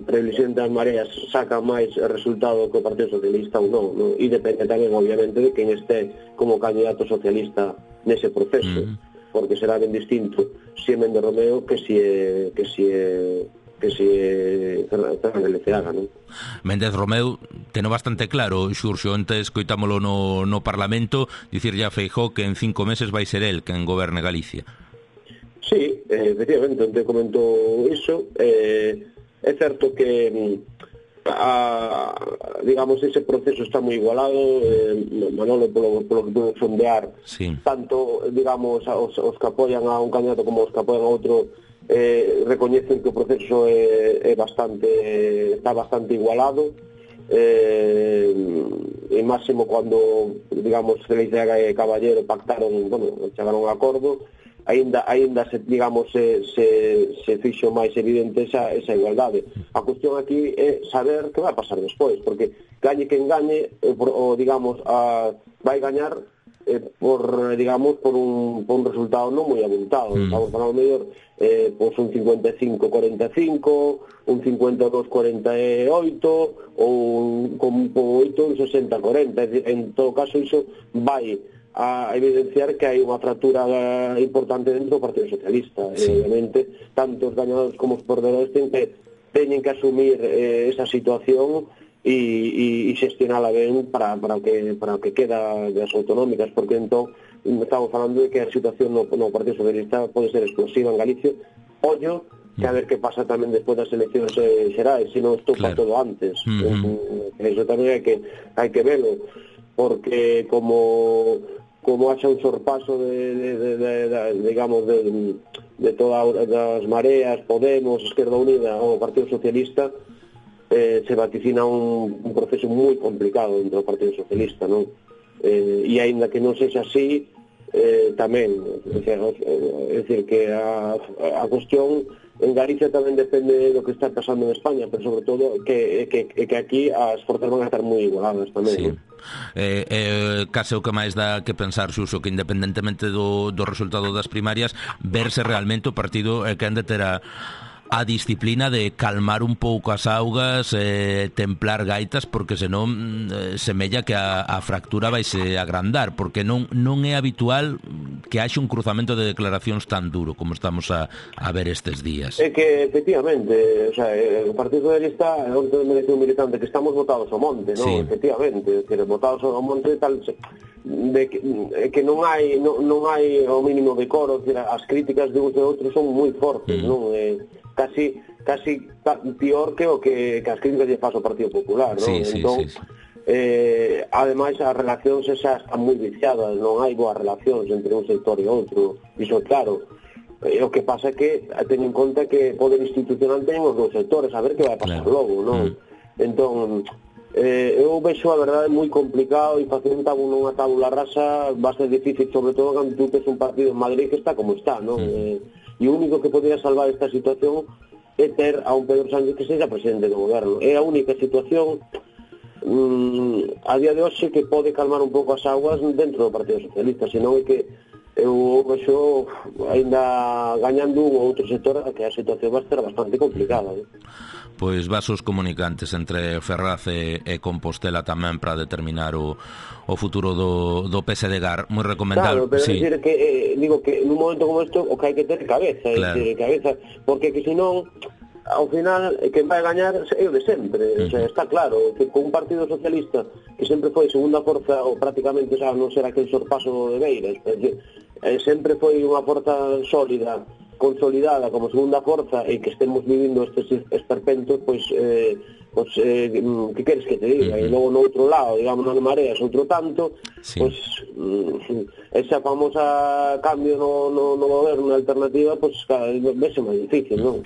Previsión das Mareas saca máis resultado que o Partido Socialista ou non, non? E depende tamén, obviamente, de quen este como candidato socialista nese proceso, porque será ben distinto si é Méndez Romeu que si é Fernández Leceaga, non? Méndez Romeu teno bastante claro, Xurxo, antes coitámolo no Parlamento dicirlle a Feijóo que en 5 meses vai ser el quen goberne Galicia. Sí, efectivamente, te comento iso. É certo que digamos, ese proceso está moi igualado. Manolo, polo que pude sondear, sí, tanto, digamos, os que apoian a un candidato como os que apoian a outro recoñecen que o proceso está bastante igualado, e máximo cando, digamos, Leceaga e Caballero pactaron, chegaron a acordo, aínda se, digamos, se fixo máis evidente esa igualdade. A cuestión aquí é saber que vai pasar despois, porque gañe quen gañe, digamos, vai gañar por un resultado non moi abultado. Estamos falando mellor un 55-45, un 52-48 ou un 8, un 60-40. En todo caso, iso vai a evidenciar que hai unha fractura importante dentro do Partido Socialista. Sí. Obviamente, tanto os gañadores como os perdedores teñen que asumir esa situación e xestionala ben para que queda das autonómicas, porque entón estamos falando de que a situación no Partido Socialista pode ser explosiva en Galicia. Ollo, que a ver que pasa tamén despois das eleccións xerais, se non estupa todo antes. Eso tamén hai que velo, porque como haxa un sorpaso digamos, de todas as mareas, Podemos, Esquerda Unida ou Partido Socialista, se vaticina un proceso moi complicado dentro do Partido Socialista, non? E aínda que non sexa así, tamén, é dicir, que a cuestión en Galicia tamén depende do que está pasando en España, pero sobre todo que aquí as forzas van a estar moi igualadas tamén, sí, non? Case o que máis dá que pensar, Xuxo, que independentemente do resultado das primarias, verse realmente o partido que han de ter a disciplina de calmar un pouco as augas, templar gaitas, porque senón semella que a fractura vaise agrandar, porque non é habitual que haxe un cruzamento de declaracións tan duro como estamos a ver estes días. É que, efectivamente, o sea, o Partido Socialista é un militante que estamos votados ao monte, non? Sí. Efectivamente, que votados ao monte tal, que non hai o mínimo decoro, as críticas de uns e outros son moi fortes, non? Casi pior que o que as críticas lle faz ao Partido Popular, non? Sí, entón, sí. Ademais, as relacións esas están moi viciadas, non hai boas relacións entre un sector e outro, iso claro. O que pasa é que ten en conta que o poder institucional ten os dos sectores, a ver que vai pasar logo, non? Entón, eu vexo a verdade moi complicado, e facer unha tábula rasa va a ser difícil, sobre todo cando tú tes un partido en Madrid que está como está, non? E o único que podría salvar esta situación é ter a un Pedro Sánchez que seja presidente do goberno. É a única situación a día de hoxe que pode calmar un pouco as aguas dentro do Partido Socialista, senón é que eu vexo ainda gañando un ou outro sector que a situación vai ser bastante complicada. Pois vasos comunicantes entre Ferraz e Compostela tamén para determinar o futuro do PSDG, moi recomendable. Claro, pero sí. Decir que digo que nun momento como isto o que hai que ter cabeza, claro. Decir, cabeza, porque que senón ao final quen vai gañar é o de sempre, o sea, está claro que con un Partido Socialista que sempre foi segunda forza ou prácticamente, o sea, non será aquel sorpaso de Beiras, porque sempre foi unha forza sólida, consolidada como segunda forza, e que estemos vivindo estes esperpentos, pois que queres que te diga? E logo no outro lado, digamos, non mareas outro tanto, sí. Pois esa famosa cambio no goberno, na alternativa, pois cada vez vese máis difícil, non?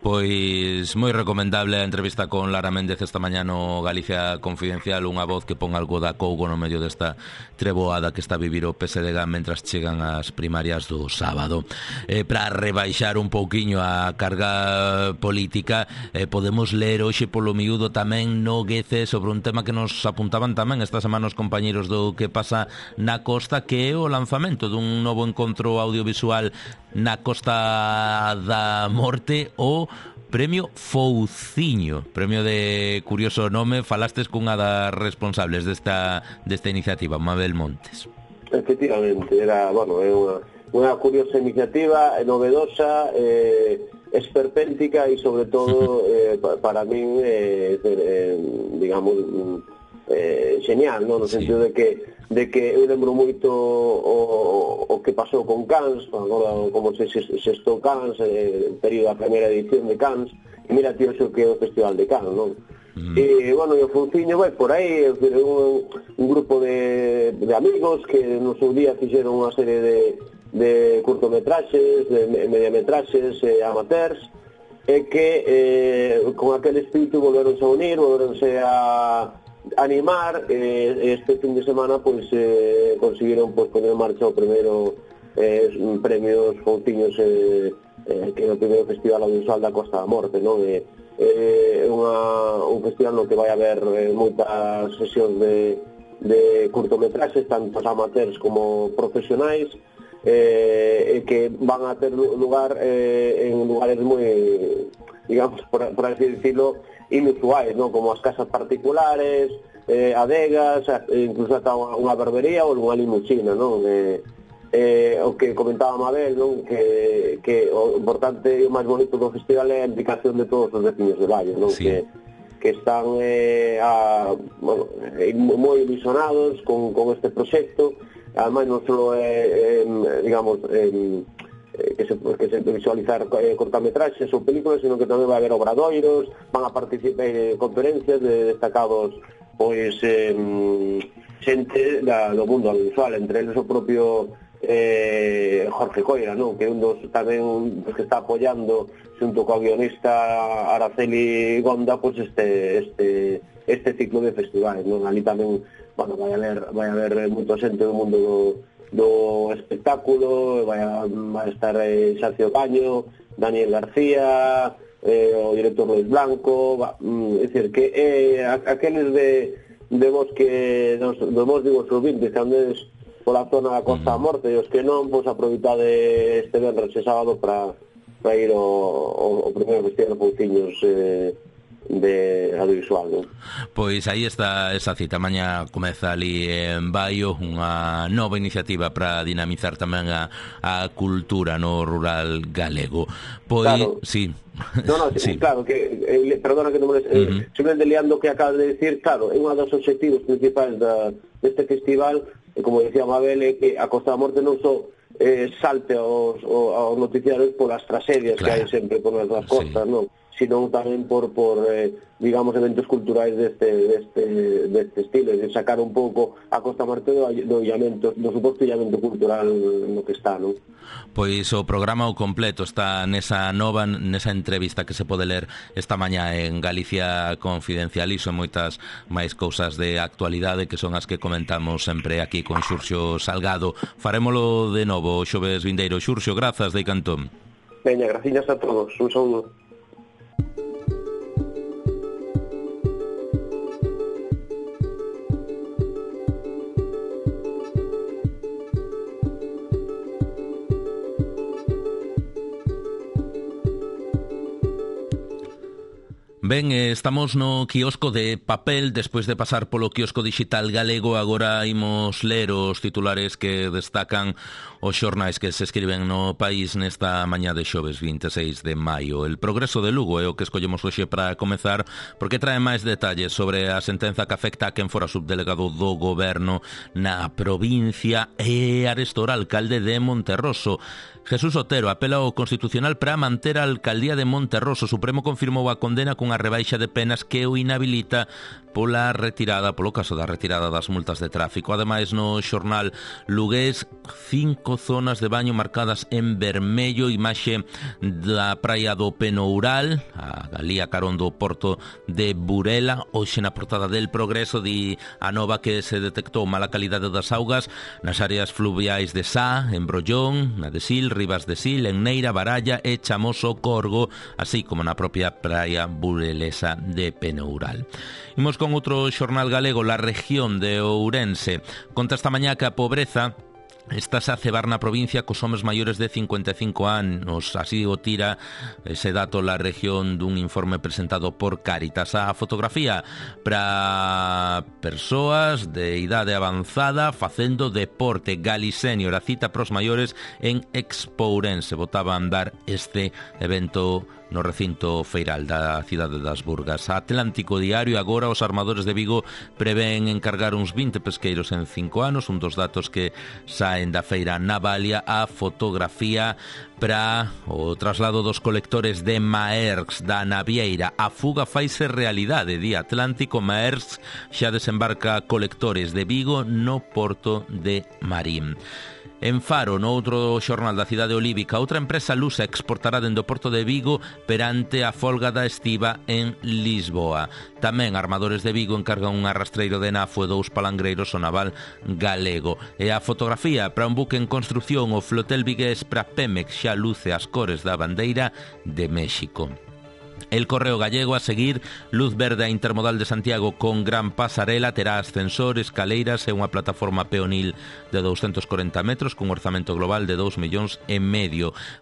Pois moi recomendable a entrevista con Lara Méndez esta mañá no Galicia Confidencial, unha voz que pon algo da cougo no medio desta treboada que está a vivir o PSDG mentras chegan as primarias do sábado. Para rebaixar un pouquiño a carga política, podemos ler hoxe polo miúdo tamén no Guece sobre un tema que nos apuntaban tamén esta semana os compañeros do Que Pasa na Costa, que é o lanzamento dun novo encontro audiovisual na Costa da Morte, o Premio Fouciño, premio de curioso nome. Falastes cunha das responsables desta iniciativa, Mabel Montes. Efectivamente, era, bueno, é unha curiosa iniciativa, novedosa, esperpéntica e sobre todo para min digamos genial, no sentido de que eu lembro moito o que pasou con Cannes, agora como se estou Cannes, período da primeira edición de Cannes, e mira tío xo que é o Festival de Cannes, non? E, bueno, o Fouciño vai por aí, un grupo de amigos que no seu día fixeron unha serie de curtometraxes, de mediametraxes amateurs, e que con aquel espírito volveronse a unir, volveronse a animar, este fin de semana pois conseguiron poner en marcha o primeiro premios Fouciños que é o primeiro festival audiovisual da Costa da Morte, non? É un festival no que vai haber moitas sesións de curtometraxes, tanto amateurs como profesionais, que van a ter lugar en lugares moi, digamos, por así decirlo, inusuais, non? Como as casas particulares, adegas, incluso ata unha barbería ou unha limusina, non? O que comentaba Mabel, non? Que o importante e o máis bonito do festival é a implicación de todos os veciños de Baio, non? Sí. Que están moi ilusionados con este proxecto. Ademais non só digamos que se visualizar cortametraxes ou películas, sino que tamén vai haber obradoiros, van a participar en conferencias de destacados pois xente do mundo audiovisual, entre eles o propio Jorge Coira, non? Que é un dos tamén que está apoiando xunto co guionista Araceli Gonda pois este ciclo de festivais, non? Ali tamén, bueno, vai haber moito xente do mundo do espectáculo, vai a estar Xacio Caño, Daniel García, o director Luis Blanco, é dicir, que aqueles de vos que dos vos digo os ouvintes que andes pola zona da Costa da Morte e os que non, pois aproveitade este venres e sábado para ir ao primeiro festival de Fouciños de audiovisual, non? Pois aí está esa cita. Mañá comeza ali en Baio unha nova iniciativa para dinamizar tamén a cultura no rural galego. Pois, claro. Sí. No, sí. Claro, que perdona que non me simplemente liando o que acabas de decir, claro, é un dos objetivos principais deste festival, e como decía Mabel, é que a Costa da Morte non só salte aos noticiarios polas tragedias que hai sempre por nas costas, non? Sino tamén por digamos, eventos culturais deste estilo, de sacar un pouco a Costa Morte do suposto illamento cultural no que está, non? Pois o programa ao completo está nesa entrevista que se pode ler esta mañá en Galicia Confidencial, e son moitas máis cousas de actualidade que son as que comentamos sempre aquí con Xurxo Salgado. Farémolo de novo o xoves vindeiro. Xurxo, grazas de Cantón. Veña, graciñas a todos. Un saúdo. Ben, estamos no quiosco de papel. Despois de pasar polo quiosco digital galego, agora imos ler os titulares que destacan os xornais que se escriben no país nesta mañá de xoves 26 de maio. El Progreso de Lugo é o que escollemos hoxe para comezar, porque trae máis detalles sobre a sentenza que afecta a quen fora subdelegado do goberno na provincia e arestora alcalde de Monterroso. Jesús Otero apela ao Constitucional para manter a alcaldía de Monterroso. O Supremo confirmou a condena cunha rebaixa de penas que o inhabilita polo caso da retirada das multas de tráfico. Ademais, no xornal lugués, 5 zonas de baño marcadas en vermello, imaxe da praia do Penoural, a Galía carón do porto de Burela. Hoxe na portada del Progreso di a nova que se detectou mala calidade das augas nas áreas fluviais de Sá, en Brollón, na de Sil, Rivas de Sil, en Neira, Baralla e Chamoso, Corgo, así como na propia praia burelesa de Penoural. Imos con outro xornal galego, La Región de Ourense. Conta esta mañá que a pobreza Estás a cebar na provincia cos homes maiores de 55 anos, así o tira ese dato la región dun informe presentado por Cáritas. A fotografía para persoas de idade avanzada facendo deporte. Galisenior, a cita pros maiores en Expourense. Botaba a andar este evento no recinto feiral da cidade das Burgas. Atlántico Diario, agora os armadores de Vigo prevén encargar uns 20 pesqueiros en 5 anos, un dos datos que saen da feira Navalia. A fotografía para o traslado dos colectores de Maersk da Navieira. A fuga faise realidade, di Atlántico. Maersk xa desembarca colectores de Vigo no porto de Marín. En Faro, no outro xornal da cidade olívica, outra empresa lusa exportará dende o porto de Vigo perante a folga da estiba en Lisboa. Tamén armadores de Vigo encargan un arrastreiro de nafo e 2 palangreiros ao naval galego. E a fotografía para un buque en construcción, o flotel vigués para Pemex xa luce as cores da bandeira de México. El Correo Gallego, a seguir, luz verde a Intermodal de Santiago con gran pasarela, terá ascensor, escaleiras e unha plataforma peonil de 240 metros cun orzamento global de 2,5 millóns.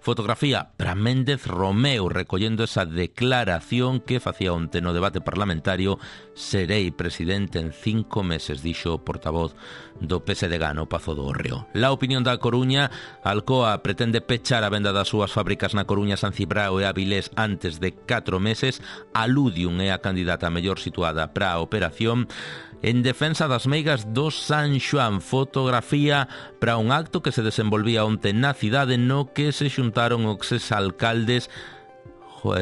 Fotografía para Méndez Romeu, recollendo esa declaración que facía onte no debate parlamentario: serei presidente en 5 meses, dixo o portavoz do PSDG no Pazo do Hórreo. La Opinión da Coruña, Alcoa pretende pechar a venda das súas fábricas na Coruña, San Cibrao e Avilés antes de 4 meses. A Ludium é a candidata mellor situada para a operación. En defensa das meigas do San Xoán, fotografía para un acto que se desenvolvía onte na cidade no que se xuntaron os exalcaldes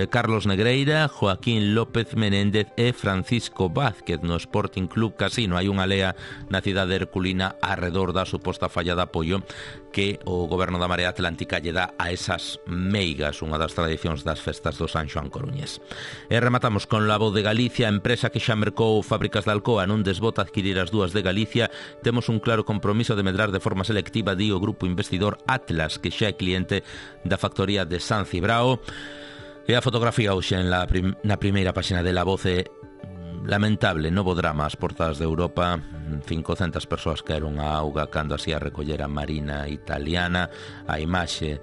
Carlos Negreira, Joaquín López Menéndez e Francisco Vázquez no Sporting Club Casino. Hai unha lea na cidade herculina arredor da suposta falla de apoio que o goberno da Marea Atlántica lle dá a esas meigas, unha das tradicións das festas do San Xoán coruñés. E rematamos con La Voz de Galicia, empresa que xa mercou fábricas de Alcoa, non desbota adquirir as dúas de Galicia. Temos un claro compromiso de medrar de forma selectiva, di o grupo investidor Atlas, que xa é cliente da factoría de San Cibrao. E a fotografía hoxe na primeira páxina de La Voz é lamentable, novo drama ás portas de Europa. 500 persoas caeron á auga cando así a recollera marina italiana. A imaxe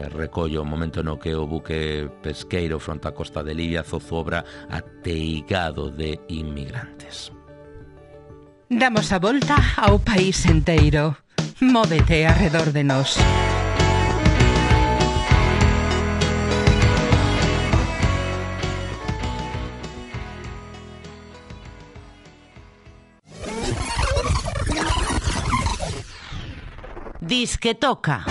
recollo o momento no que o buque pesqueiro fronte á costa de Libia zozobra ateigado de inmigrantes. Damos a volta ao país enteiro. Móvete arredor de nós. Disque toca.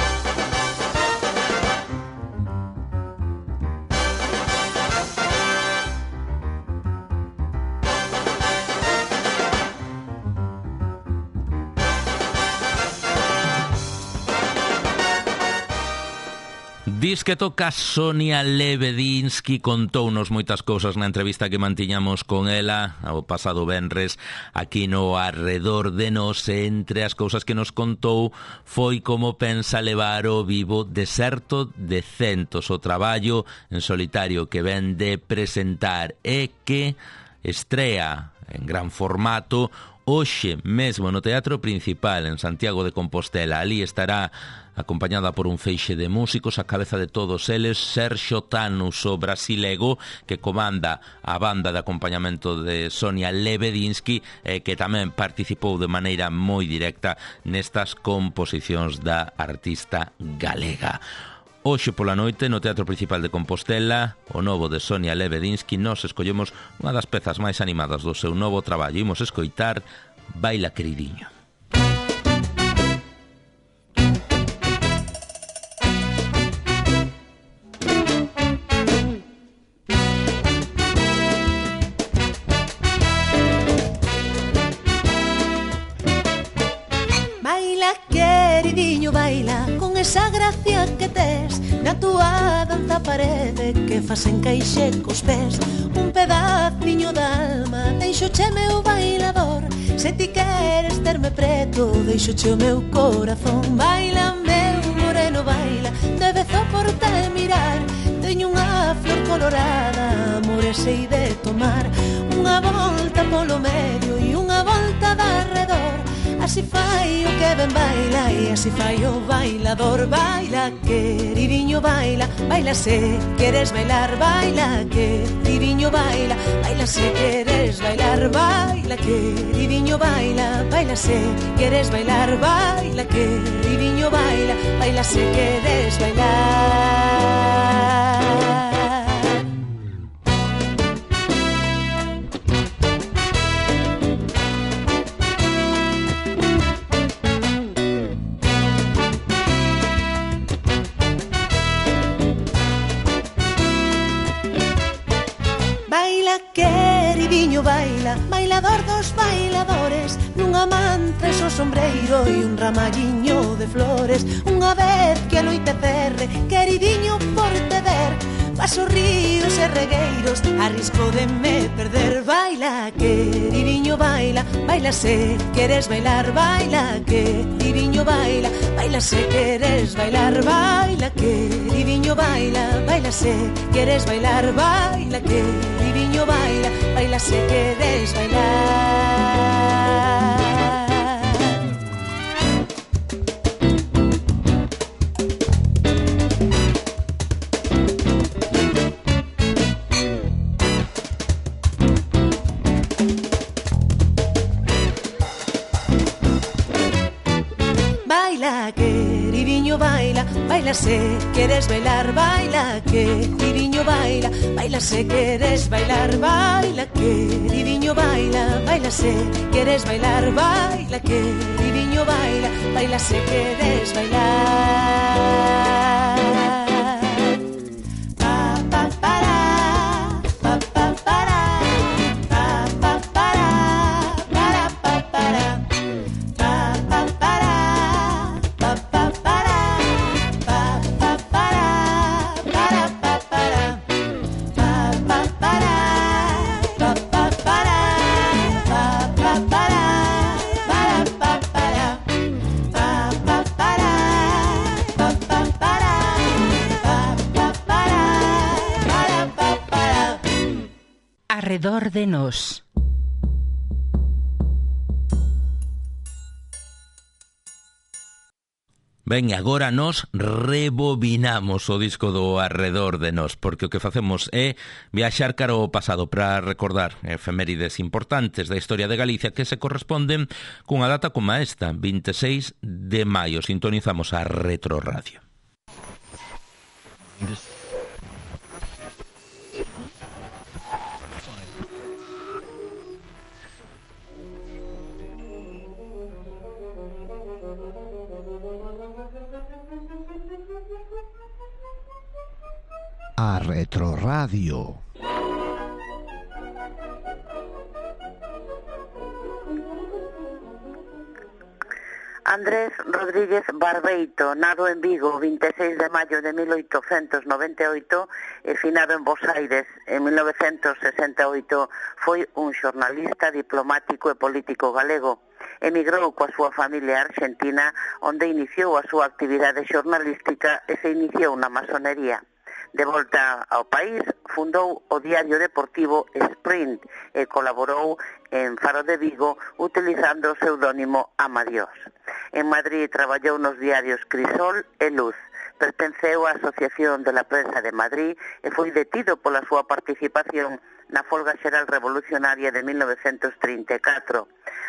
Dis que toca Sonia Lebedinsky, contounos moitas cousas na entrevista que mantiñamos con ela o pasado venres aquí no Arredor de Nós. Entre as cousas que nos contou foi como pensa levar o vivo Deserto de Centos, o traballo en solitario que ven de presentar e que estrea en gran formato hoxe mesmo no Teatro Principal en Santiago de Compostela. Ali estará acompañada por un feixe de músicos, a cabeza de todos eles Sergio Tanus, o brasilego que comanda a banda de acompañamento de Sonia Lebedinsky, que tamén participou de maneira moi directa nestas composicións da artista galega. Hoxe pola noite no Teatro Principal de Compostela, o novo de Sonia Lebedinsky. Nos escollemos unha das pezas máis animadas do seu novo traballo. Imos escoitar Baila Queridiño. Baila queridiño, baila con esa gracia que tes na túa danza parede que fas encaixe cos pés. Un pedaciño da alma deixoche meu bailador. Se ti queres terme preto, deixoche o meu corazón. Baila meu moreno, baila, debezo por te mirar. Teño unha flor colorada, amor sei de tomar. Unha volta polo medio e unha volta de arredor. Así fai o que ben baila e así fai o bailador. Baila, queridinho, baila, baila se queres bailar. Baila, queridinho, baila, baila se queres bailar. Baila, queridinho, baila, baila se queres bailar. Baila, queridinho, baila, baila se queres bailar. Queridiño, baila, bailador dos bailadores, nunha manta e so sombreiro e un ramalliño de flores. Unha vez que a noite cerre, queridiño, por te ver, paso ríos e regueiros, a risco de me perder. Baila, queridiño, baila, baila se queres bailar. Baila, queridiño, baila, baila se queres bailar. Baila, queridiño, baila, baila se queres bailar. Baila, queridiño, baila, baila se queres bailar. Baila, queridiño, baila, baila se queres bailar. Baila, queridiño, baila, baila se queres bailar. Baila, queridiño, baila, baila se queres bailar. Baila, queridiño, baila, baila se queres bailar. Arredor de nós. Ben, agora nos rebobinamos o disco do Arredor de nós, porque o que facemos é viaxar cara ao pasado para recordar efemérides importantes da historia de Galicia que se corresponden cunha data como esta, 26 de maio. Sintonizamos a Retroradio. A Retroradio. Andrés Rodríguez Barbeito, nado en Vigo, 26 de maio de 1898 e finado en Bos Aires en 1968, foi un xornalista, diplomático e político galego. Emigrou coa súa familia argentina, onde iniciou a súa actividade xornalística e se iniciou na masonería. De volta ao país, fundou o diario deportivo Sprint e colaborou en Faro de Vigo utilizando o pseudónimo Amadiós. En Madrid traballou nos diarios Crisol e Luz. Pertenceu á Asociación de la Prensa de Madrid e foi detido pola súa participación na folga xeral revolucionaria de 1934.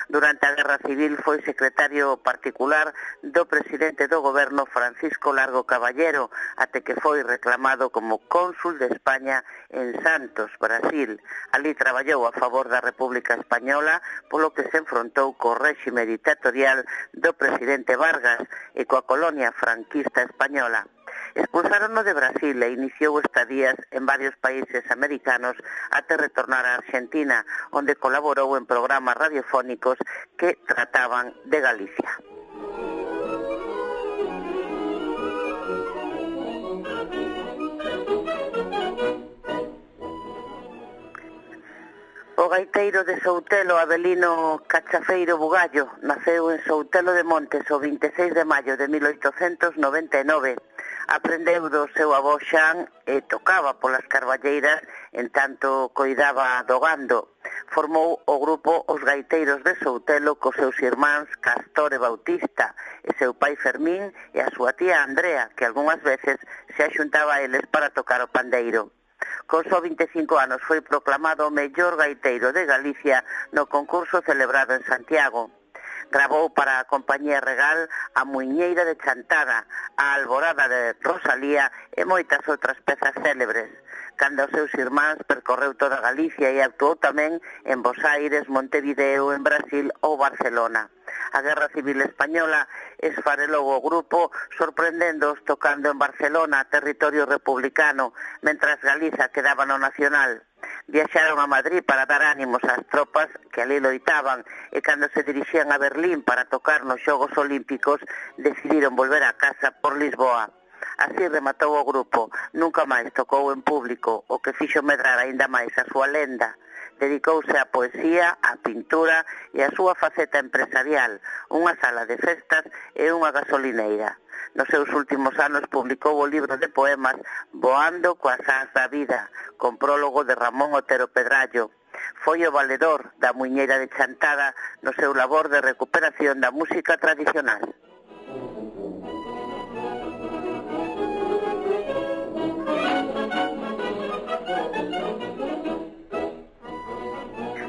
Durante a Guerra Civil foi secretario particular do presidente do goberno Francisco Largo Caballero, até que foi reclamado como cónsul de España en Santos, Brasil. Ali traballou a favor da República Española, polo que se enfrontou co réxime dictatorial do presidente Vargas e coa colonia franquista española. Expulsárono de Brasil e iniciou estadías en varios países americanos até retornar a Argentina, onde colaborou en programas radiofónicos que trataban de Galicia. O gaiteiro de Soutelo, Avelino Cachafeiro Bugallo, naceu en Soutelo de Montes o 26 de maio de 1899. Aprendeu do seu avó Xan e tocaba polas carballeiras en tanto coidaba do gando. formou o grupo Os Gaiteiros de Soutelo cos seus irmáns Castor e Bautista e seu pai Fermín e a súa tía Andrea, que algunhas veces se axuntaba a eles para tocar o pandeiro. Con só 25 anos foi proclamado o mellor gaiteiro de Galicia no concurso celebrado en Santiago. Gravou para a compañía Regal A Muiñeira de Chantada, A Alborada de Rosalía e moitas outras pezas célebres. Cando os seus irmáns percorreu toda Galicia e actuou tamén en Bos Aires, Montevideo, en Brasil ou Barcelona. A Guerra Civil Española esfarelou o grupo, sorprendéndoos tocando en Barcelona, territorio republicano, mentras Galiza quedaba no nacional. Viaxaron a Madrid para dar ánimos ás tropas que ali loitaban e cando se dirixían a Berlín para tocar nos Xogos Olímpicos decidiron volver a casa por Lisboa. Así rematou o grupo, nunca máis tocou en público, o que fixo medrar aínda máis a súa lenda. Dedicouse á poesía, á pintura e á súa faceta empresarial, unha sala de festas e unha gasolineira. Nos seus últimos anos publicou o libro de poemas Voando coas ás da vida, con prólogo de Ramón Otero Pedrallo. Foi o valedor da Muiñeira de Chantada no seu labor de recuperación da música tradicional.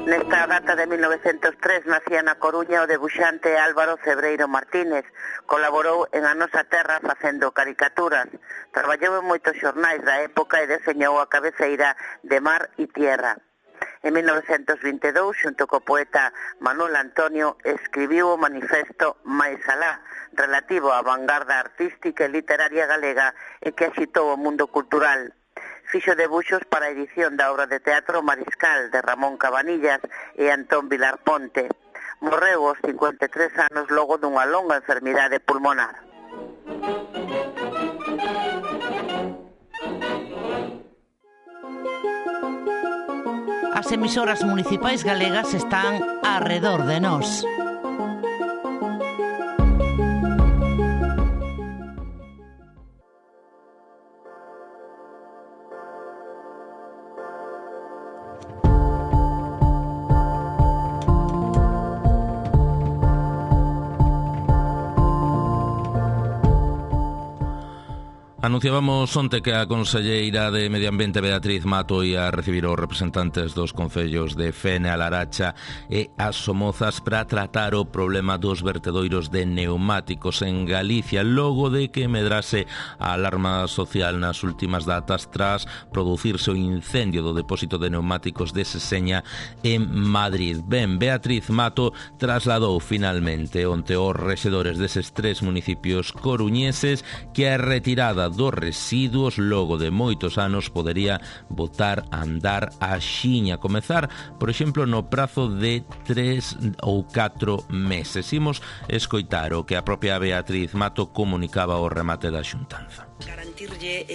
Nesta data de 1903 nacía na Coruña o debuxante Álvaro Cebreiro Martínez. Colaborou en A Nosa Terra facendo caricaturas. Traballou en moitos xornais da época e deseñou a cabeceira de Mar e Tierra. En 1922, xunto co poeta Manuel Antonio, escribiu o manifesto Mais Alá, relativo á vanguarda artística e literaria galega e que axitou o mundo cultural. Fixo debuxos para a edición da obra de teatro Mariscal de Ramón Cabanillas e Antón Vilar Ponte. Morreu aos 53 anos logo dunha longa enfermidade pulmonar. As emisoras municipais galegas están arredor de nós. Anunciábamos onte que a conselleira de Medio Ambiente Beatriz Mato ia recibir os representantes dos concellos de Fene, A Laracha e As Somozas para tratar o problema dos vertedoiros de neumáticos en Galicia, logo de que medrase a alarma social nas últimas datas tras producirse o incendio do depósito de neumáticos de Seseña en Madrid. Ben, Beatriz Mato trasladou finalmente onte aos rexedores deses tres municipios coruñeses que a retirada dos residuos logo de moitos anos podería botar a andar a xiña, comezar, por exemplo, no prazo de 3 ou 4 meses. Imos escoitar o que a propia Beatriz Mato comunicaba ao remate da xuntanza. Garantirlle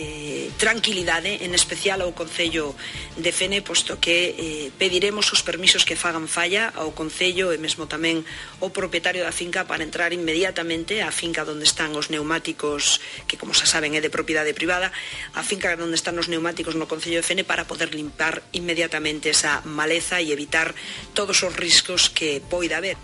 tranquilidade, en especial ao Concello de Fene, posto que pediremos os permisos que fagan falla ao Concello e mesmo tamén ao propietario da finca para entrar inmediatamente á finca onde están os neumáticos, que como xa saben é de propiedade privada, a finca onde están os neumáticos no Concello de Fene para poder limpar inmediatamente esa maleza e evitar todos os riscos que poida haber.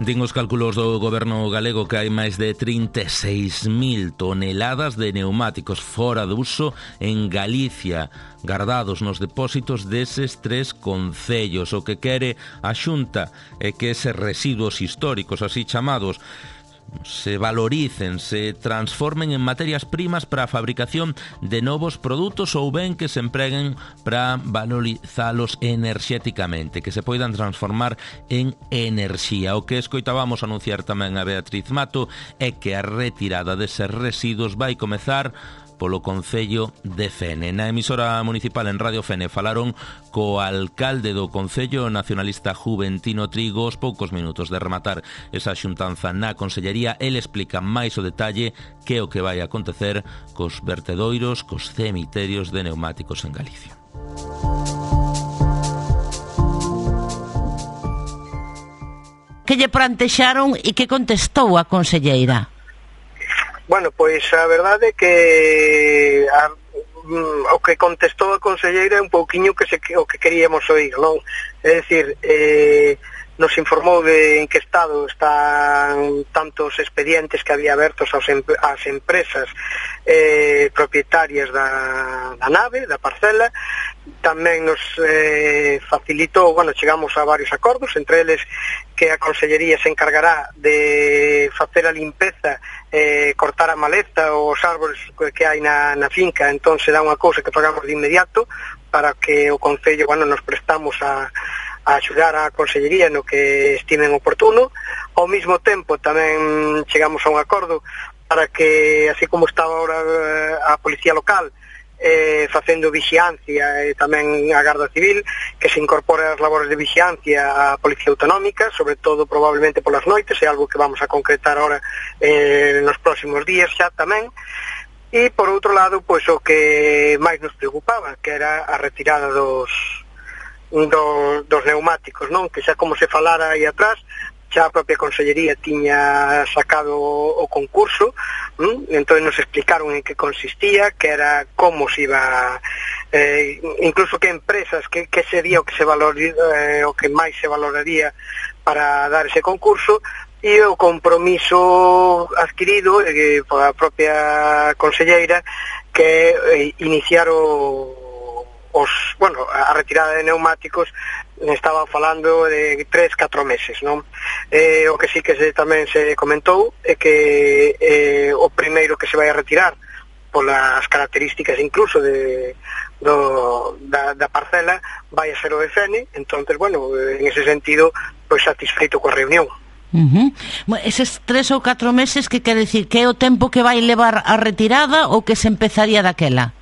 Din os cálculos do goberno galego que hai máis de 36.000 toneladas de neumáticos fora de uso en Galicia, guardados nos depósitos deses tres concellos. O que quere a Xunta é que eses residuos históricos, así chamados, se valoricen, se transformen en materias primas para a fabricación de novos produtos ou ben que se empreguen para valorizalos enerxéticamente, que se poidan transformar en enerxía. O que escoitábamos anunciar tamén a Beatriz Mato é que a retirada deses residuos vai comezar polo Concello de Fene. Na emisora municipal en Radio Fene falaron co alcalde do Concello nacionalista Juventino Trigo aos poucos minutos de rematar esa xuntanza na Consellería. El explica máis o detalle que é o que vai acontecer cos vertedoiros, cos cemiterios de neumáticos en Galicia. Que lle plantexaron e que contestou a conselleira? Bueno, pois a verdade é que o que contestou a conselleira é un pouquiño o que queríamos oír, non? É dicir, nos informou de en que estado están tantos expedientes que había abertos ás empresas propietarias da nave, da parcela. Tamén nos facilitou, chegamos a varios acordos, entre eles que a Consellería se encargará de facer a limpeza, cortar a maleza ou os árbores que hai na finca. Entón será unha cousa que pagamos de inmediato para que o Concello, nos prestamos a axudar a Consellería no que estimen oportuno. Ao mesmo tempo tamén chegamos a un acordo para que, así como está ahora a Policía Local facendo vixiancia e tamén a Garda Civil, que se incorpore as labores de vixiancia a Policía Autonómica, sobre todo probablemente polas noites, é algo que vamos a concretar ahora nos próximos días xa tamén. E por outro lado, pois o que máis nos preocupaba, que era a retirada dos neumáticos, non? Que xa como se falara aí atrás, xa a propia Consellería tiña sacado o concurso, entón nos explicaron en que consistía, que era como se iba, incluso que empresas, que sería o que se valoraría, o que máis se valoraría para dar ese concurso, e o compromiso adquirido pola propia conselleira, que iniciar a retirada de neumáticos. Estaba falando de 3-4 meses, non? O que sí que tamén se comentou é que o primeiro que se vai a retirar polas características incluso da parcela vai a ser o EFN. Entonces, en ese sentido, pois satisfeito coa reunión. Eses 3 ou 4 meses, que quere dicir? Que é o tempo que vai levar a retirada ou que se empezaría daquela?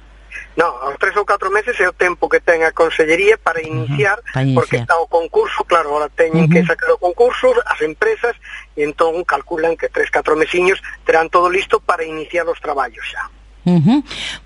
Non, aos 3 ou 4 meses é o tempo que ten a Consellería para iniciar, porque está o concurso, claro, ahora teñen que sacar o concurso as empresas, e entón calculan que 3-4 mesiños terán todo listo para iniciar os traballos xa.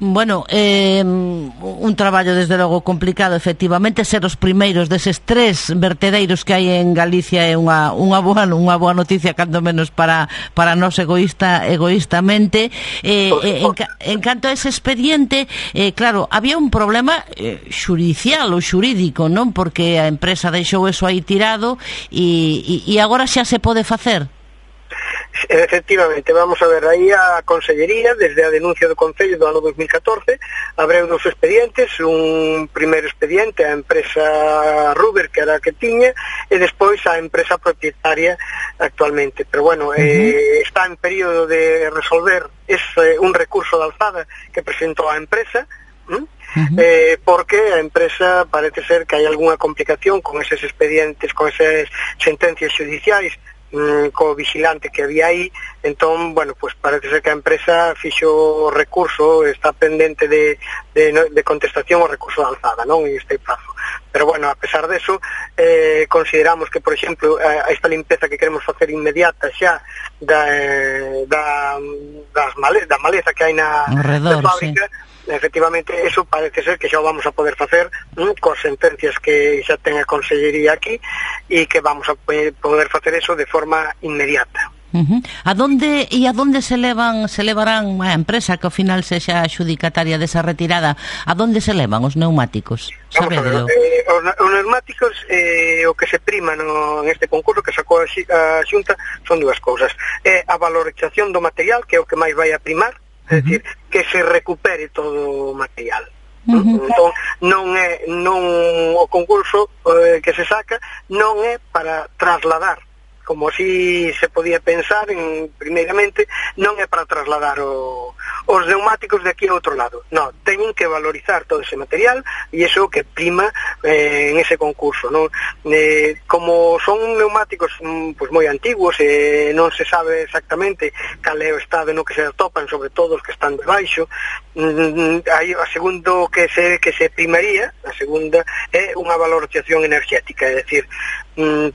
Bueno, un traballo desde logo complicado, efectivamente. Ser os primeiros deses 3 vertedeiros que hai en Galicia é unha boa noticia, cando menos para nós egoístamente. En canto a ese expediente, claro, había un problema xudicial ou xurídico, non? Porque a empresa deixou eso aí tirado e agora xa se pode facer. Efectivamente, vamos a ver, aí a Consellería, desde a denuncia do Concello do ano 2014, abreu 2 expedientes, un primeiro expediente a empresa Ruber, que era a que tiña, e despois a empresa propietaria actualmente. Pero está en período de resolver un recurso de alzada que presentou a empresa, porque a empresa parece ser que hai algunha complicación con eses expedientes, con esas sentencias judiciais, co vigilante que había aí. Entón, pues parece ser que a empresa fixo o recurso, está pendente de contestación o recurso de alzada, non? En este prazo. Pero a pesar deso, consideramos que, por exemplo, esta limpeza que queremos facer inmediata xa da maleza que hai na fábrica, efectivamente, eso parece ser que xa o vamos a poder facer coas sentencias que xa ten a Consellería aquí, e que vamos a poder facer eso de forma inmediata. A donde se levarán a empresa que ao final sexa xudicataria desa retirada? A donde se levan os neumáticos? Sabedelo. Os neumáticos, o que se prima en este concurso que sacou a Xunta son 2 cousas. É a valorización do material, que é o que máis vai a primar, é dicir, que se recupere todo o material. Entón, o concurso que se saca non é para trasladar, como así se podía pensar primeiramente, non é para trasladar os neumáticos de aquí a outro lado. Non, teñen que valorizar todo ese material, e iso que prima en ese concurso, non? Como son neumáticos moi antiguos, non se sabe exactamente cal é o estado no que se atopan, sobre todo os que están debaixo. Aí a segundo que se primaría, a segunda é unha valorización enerxética, é dicir,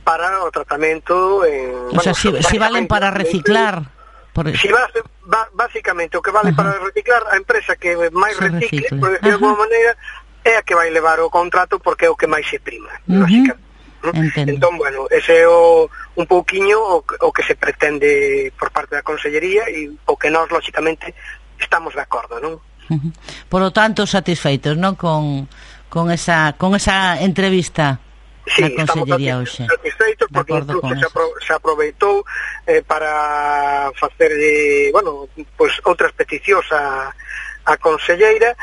para o tratamento. O sea, si valen para reciclar. Si básicamente o que vale para reciclar, a empresa que máis recicle, por decir de alguma maneira, é a que vai levar o contrato, porque é o que máis se prima, básicamente. Entón, ese é un pouquiño o que se pretende por parte da Consellería, e o que nós, lógicamente, estamos de acordo, non? Por lo tanto, satisfeitos, non? Con esa entrevista na Consellería hoxe. Satisfeitos porque incluso se aproveitou para facer outras peticións a conselleira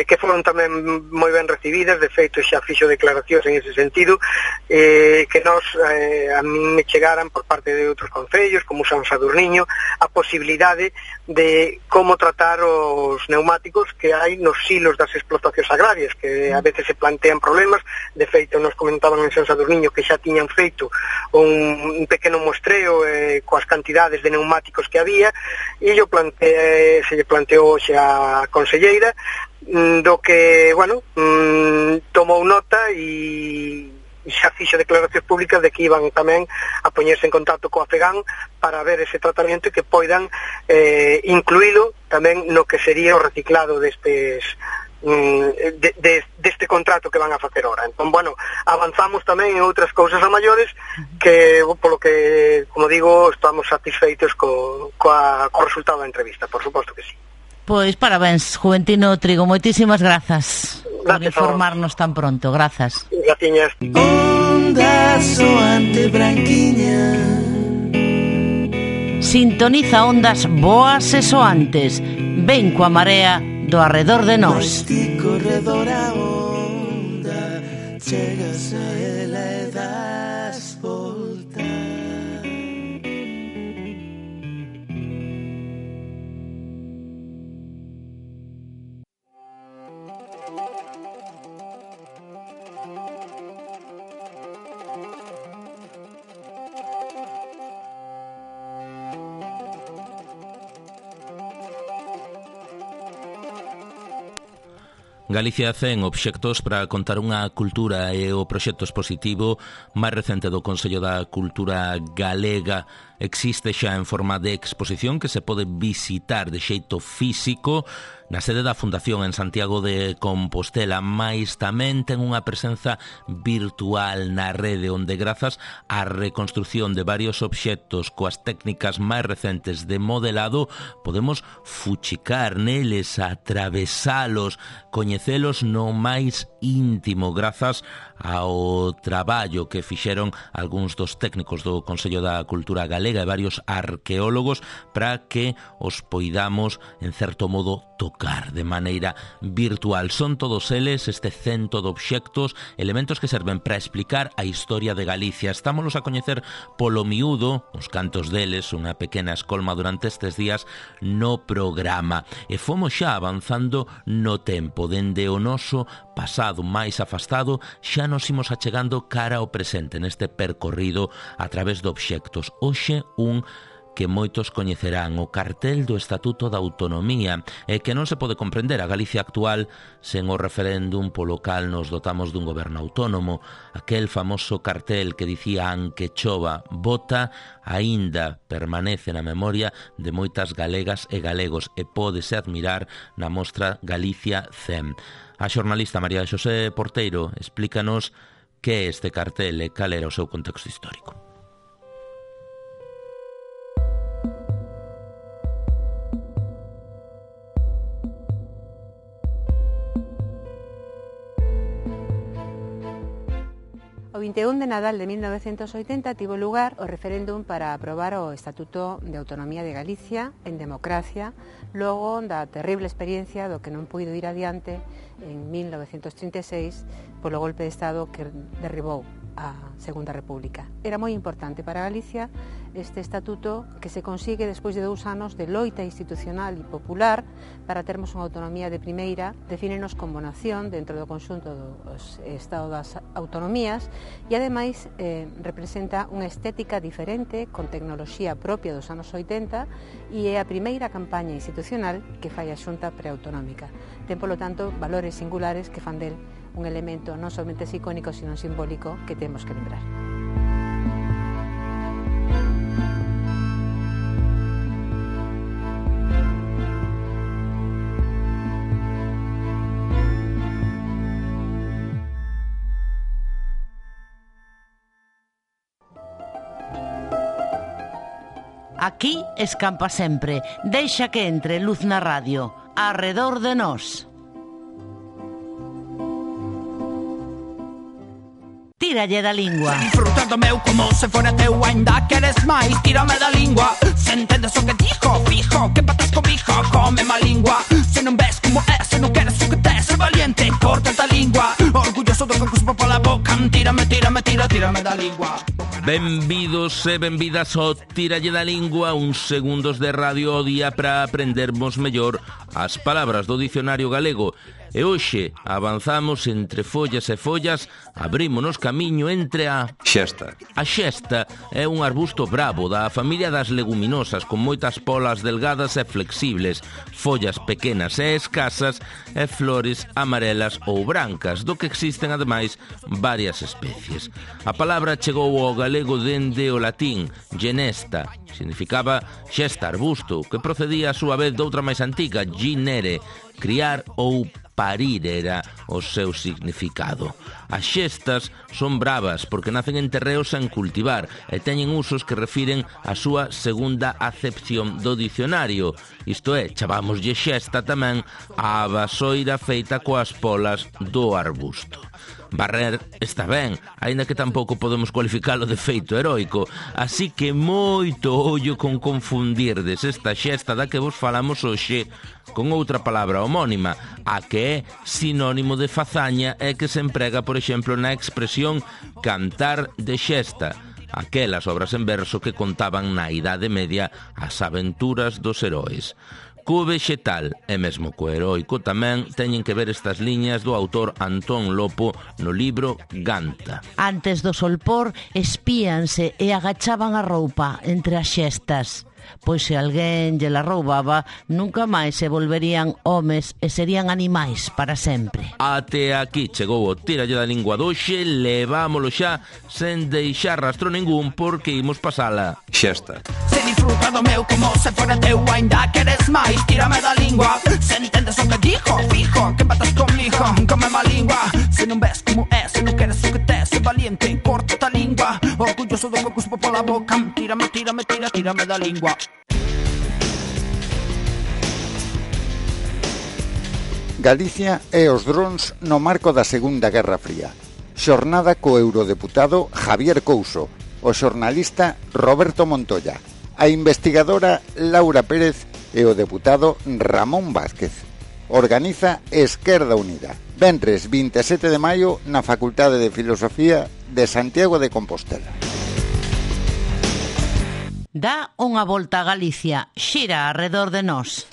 que foron tamén moi ben recibidas. De feito xa fixo declaracións en ese sentido que nos a mí me chegaran por parte de outros concellos como San Sadurniño a posibilidade de como tratar os neumáticos que hai nos silos das explotacións agrarias, que a veces se plantean problemas. De feito nos comentaban en San Sadurniño que xa tiñan feito un pequeno muestreo coas cantidades de neumáticos que había, e se lle planteou xa a conselleira do que, tomou nota e xa fixo declaracións públicas de que iban tamén a poñerse en contacto coa FEGAN para ver ese tratamento e que poidan incluílo tamén no que sería o reciclado deste contrato que van a facer ahora. Entón, avanzamos tamén en outras cousas a maiores que, polo que, como digo, estamos satisfeitos co resultado da entrevista, por suposto que sí. Pois parabéns, Juventino Trigo, moitísimas grazas por informarnos tan pronto, grazas. Graciñas. Onda soante branquiña, sintoniza ondas boas e soantes, ven coa marea do arredor de nós. Corredor a onda, chegas a ela e das volta. Galicia 100 obxectos para contar unha cultura e o proxecto expositivo máis recente do Consello da Cultura Galega existe xa en forma de exposición que se pode visitar de xeito físico na sede da Fundación en Santiago de Compostela, mais tamén ten unha presenza virtual na rede onde grazas á reconstrucción de varios obxectos coas técnicas máis recentes de modelado podemos fuchicar neles, atravesalos, coñecelos no máis íntimo grazas ao traballo que fixeron algúns dos técnicos do Consello da Cultura Galega e varios arqueólogos para que os poidamos, en certo modo, tocar de maneira virtual. Son todos eles, este cento de obxectos, elementos que serven para explicar a historia de Galicia. Estámolos a coñecer polo miúdo, os cantos deles, unha pequena escolma durante estes días no programa. E fomos xa avanzando no tempo, dende o noso pasado máis afastado, xa nos imos achegando cara ao presente neste percorrido a través de obxectos. Hoxe un que moitos coñecerán, o cartel do Estatuto da Autonomía, e que non se pode comprender a Galicia actual sen o referéndum polo cal nos dotamos dun goberno autónomo. Aquel famoso cartel que dicía "Anque chova, bota", aínda permanece na memoria de moitas galegas e galegos e pódese admirar na mostra Galicia 100. A xornalista María Xosé Porteiro explícanos que é este cartel e cal era o seu contexto histórico. O 21 de Nadal de 1980 tivo lugar o referéndum para aprobar o Estatuto de Autonomía de Galicia en democracia, logo da terrible experiencia do que non puido ir adiante en 1936 polo golpe de Estado que derribou a Segunda República. Era moi importante para Galicia este estatuto que se consigue despois de 2 anos de loita institucional e popular para termos unha autonomía de primeira, defínenos como nación dentro do conxunto do Estado das Autonomías e ademais representa unha estética diferente con tecnoloxía propia dos anos 80 e é a primeira campaña institucional que fai a Xunta Preautonómica. Ten, polo tanto, valores singulares que fan del un elemento non somente icónico, sino simbólico que temos que lembrar. Aquí escampa sempre, deixa que entre luz na radio. arredor de nós. Tíralle da lingua. Disfrutando meu como se fora teu, ainda queres máis, tírame da lingua. Se entendes o que dijo, fijo, que patas comigo, come má lingua. Se non ves como é, se non queres o que tes, ser valiente, corta a lingua. Orgulloso do que cuspo pola boca, tírame da lingua. Benvidos e benvidas ao Tíralle da Lingua, uns segundos de radio ao día para aprendermos mellor as palabras do dicionario galego. E hoxe avanzamos entre follas e follas, abrímonos camiño entre a xesta. A xesta é un arbusto bravo da familia das leguminosas con moitas polas delgadas e flexibles, follas pequenas e escasas e flores amarelas ou brancas, do que existen ademais varias especies. A palabra chegou ao galego dende o latín genesta, significaba xesta arbusto, que procedía a súa vez doutra máis antiga, ginere, criar ou parir era o seu significado. As xestas son bravas porque nacen en terreos sen cultivar e teñen usos que refiren a súa segunda acepción do dicionario. Isto é, chamámoslle xesta tamén a vasoira feita coas polas do arbusto. Barrer está ben, aínda que tampouco podemos cualificalo de feito heroico, así que moito ollo con confundirdes esta xesta da que vos falamos hoxe con outra palabra homónima, a que é sinónimo de fazaña e que se emprega, por exemplo, na expresión cantar de xesta, aquelas obras en verso que contaban na Idade Media as aventuras dos heróis. Co vexetal e mesmo co heroico tamén teñen que ver estas liñas do autor Antón Lopo no libro Ganta. Antes do solpor espíanse e agachaban a roupa entre as xestas, pois se alguén lle la roubaba nunca máis se volverían homes e serían animais para sempre. Até aquí chegou o Tíralle da Lingua doxe, levámolo xa sen deixar rastro ningún porque imos pasala xesta. Se disfruta do meu como se fora teu, ainda queres máis, tírame da lingua. Se entendes o que dijo, fijo, que patas comigo, come má lingua. Se non ves como é, se non queres o que tes, ser valiente, corta a lingua. Orgulloso do que cuspo pola boca, tírame da lingua. Galicia e os drons no marco da Segunda Guerra Fría. Xornada co eurodeputado Javier Couso, o xornalista Roberto Montoya, a investigadora Laura Pérez e o deputado Ramón Vázquez. Organiza Esquerda Unida. Venres 27 de maio na Facultade de Filosofía de Santiago de Compostela. Dá unha volta a Galicia, xira arredor de nós.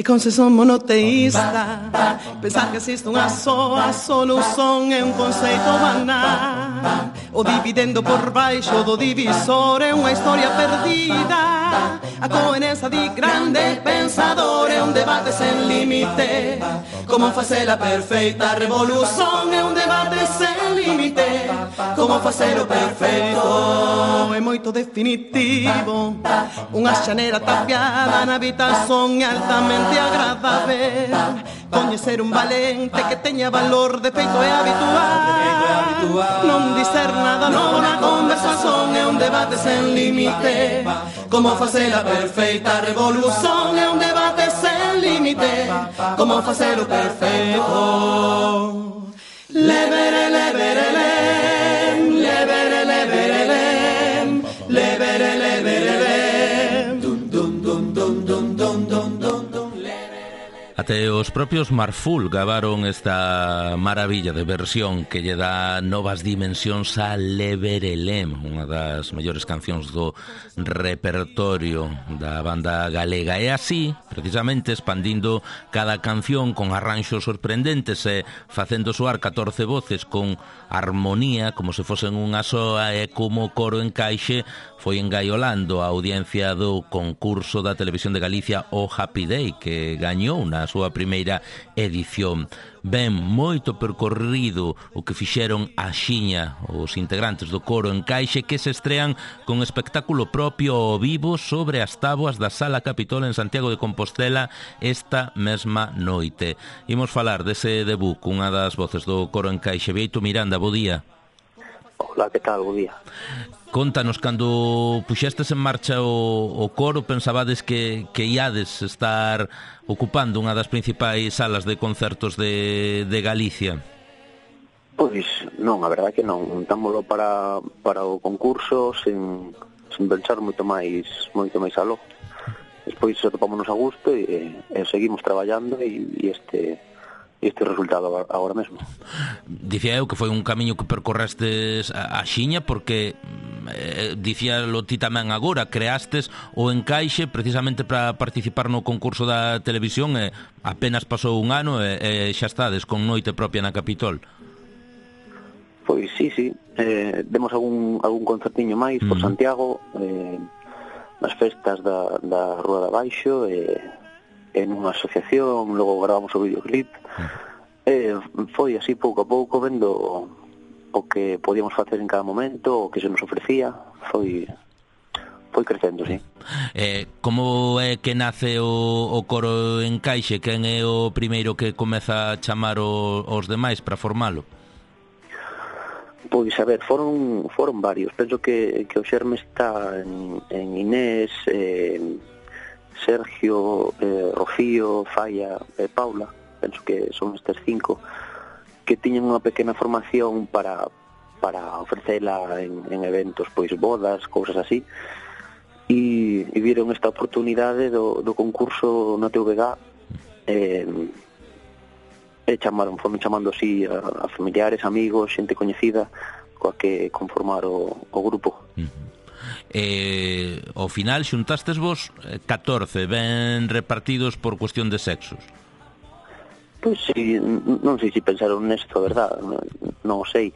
E con se son monoteísta, pensar que existe unha soa solución é un conceito banal. O dividendo por baixo do divisor é unha historia perdida. A coherencia de grande pensador é un debate sen límite. Como facer a perfeita revolución é un debate sen límite. Como facer o perfeito é moito definitivo. Unha xanera tapiada na habitación é altamente agradável. Coñecer un valente que teña valor de feito é habitual. Non dicer nada novo na conversación é un debate sen límite. Como facer a perfeita revolución é un debate sen límite. Como facer o perfeito. Lebere, lebere, lem, lebere, lebere, lem, lebere, lebere, lem, dum, dum, dum, dum, dum, dum, dum, dum. Até os propios Marful gravaron esta maravilla de versión que lle dá novas dimensións a Leberelem, unha das mellores cancións do repertorio da banda galega. E así, precisamente, expandindo cada canción con arranxos sorprendentes e facendo soar 14 voces con armonía como se fosen unha soa e como coro encaixe, foi engaiolando a audiencia do concurso da Televisión de Galicia o Happy Day, que gañou na súa primeira primeira edición. Ben moito percorrido o que fixeron axiña os integrantes do Coro Encaixe, que se estrean con espectáculo propio ao vivo sobre as táboas da Sala Capitol en Santiago de Compostela esta mesma noite. Imos falar dese debut cunha das voces do Coro Encaixe. Bieito Miranda, bo día. Hola, que tal? Bo día. Contanos, cando puxestes en marcha o coro, pensabades que iades estar ocupando unha das principais salas de concertos de Galicia? Pois non, a verdade que non. Montámoslo para o concurso sen pensar moito máis aló. Despois atopámonos a gusto e seguimos traballando e este resultado agora mesmo. Dicía eu que foi un camiño que percorrestes a xiña porque dicíalo ti tamén agora, creastes o Encaixe precisamente para participar no concurso da televisión e apenas pasou un ano e xa estades con noite propia na Capitol. Pois sí, demos algún concertiño máis por Santiago, nas festas da Rúa de Abaixo en unha asociación, logo gravamos o videoclip. Foi así pouco a pouco vendo o que podíamos facer en cada momento, o que se nos ofrecía. Foi crecendo, sí. Como é que nace o Coro Encaixe? Quen é o primeiro que comeza a chamar os demais para formalo? Pois, a ver, foron varios. Penso que o xerme está en Inés, Sergio, Rocío, Falla e Paula. Penso que son estes 5 que tiñan unha pequena formación para ofrecela en eventos, pois bodas, cousas así, e viron esta oportunidade do concurso na TVG e foron chamando así a familiares, amigos, xente coñecida coa que conformar o grupo. Ao final xuntastes vos 14, ben repartidos por cuestión de sexos. Pois sí, non sei se pensaron nesto, a verdad, non o sei,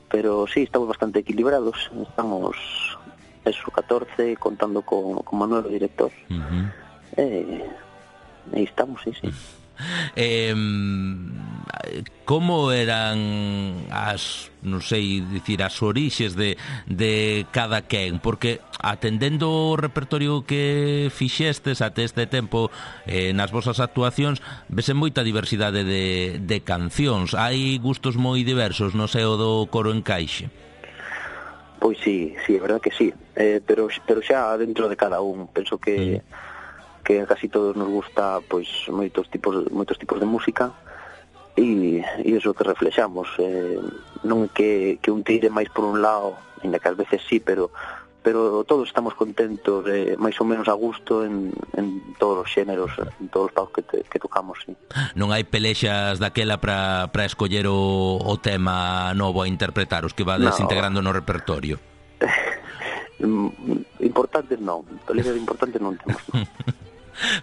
pero sí, estamos bastante equilibrados. Estamos 14 contando con Manuel, o director. E estamos, sí. Como eran as, non sei dicir, as orixes de cada quen? Porque atendendo o repertorio que fixestes até este tempo nas vosas actuacións, vese moita diversidade de cancións. Hai gustos moi diversos no seo do Coro Encaixe. Pois sí, é verdad que sí, pero xa dentro de cada un. Penso que a casi todos nos gusta pois moitos tipos de música e iso que reflexamos, non é que un tire máis por un lado, ainda que ás veces sí, pero todos estamos contentos, máis ou menos a gusto en todos os xéneros, en todos os pagos que tocamos, sí. Non hai pelexas daquela para escoller o tema novo a interpretar, os que vades integrando no repertorio? Importantes non, pelexas importantes non temos.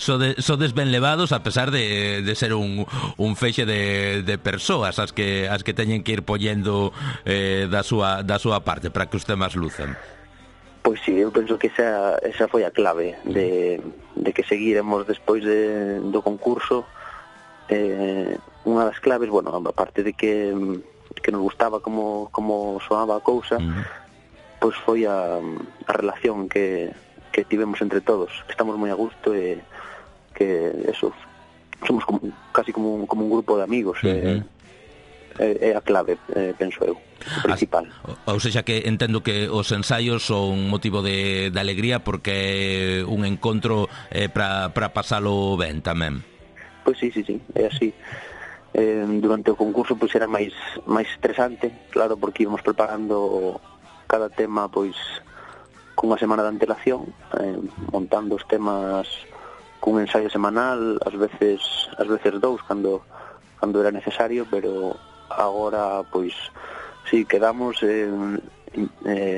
Sodes ben levados a pesar de ser un feixe de persoas as que teñen que ir poñendo da súa parte para que os temas luzan. Pois sí, eu penso que esa foi a clave de que seguiremos despois do concurso. Unha das claves, bueno, aparte de que nos gustaba como soaba a cousa, pois foi a relación que tivemos entre todos, que estamos moi a gusto e que eso, somos casi como un grupo de amigos. É a clave, penso eu, o principal. Ou seja que entendo que os ensaios son motivo de alegría porque é un encontro para pasalo ben tamén. Pois sí, é así. Durante o concurso pois era máis estresante, claro, porque íbamos preparando cada tema pois cunha semana de antelación, montando os temas cun ensayo semanal, ás veces 2 cando era necesario, pero agora pois si quedamos,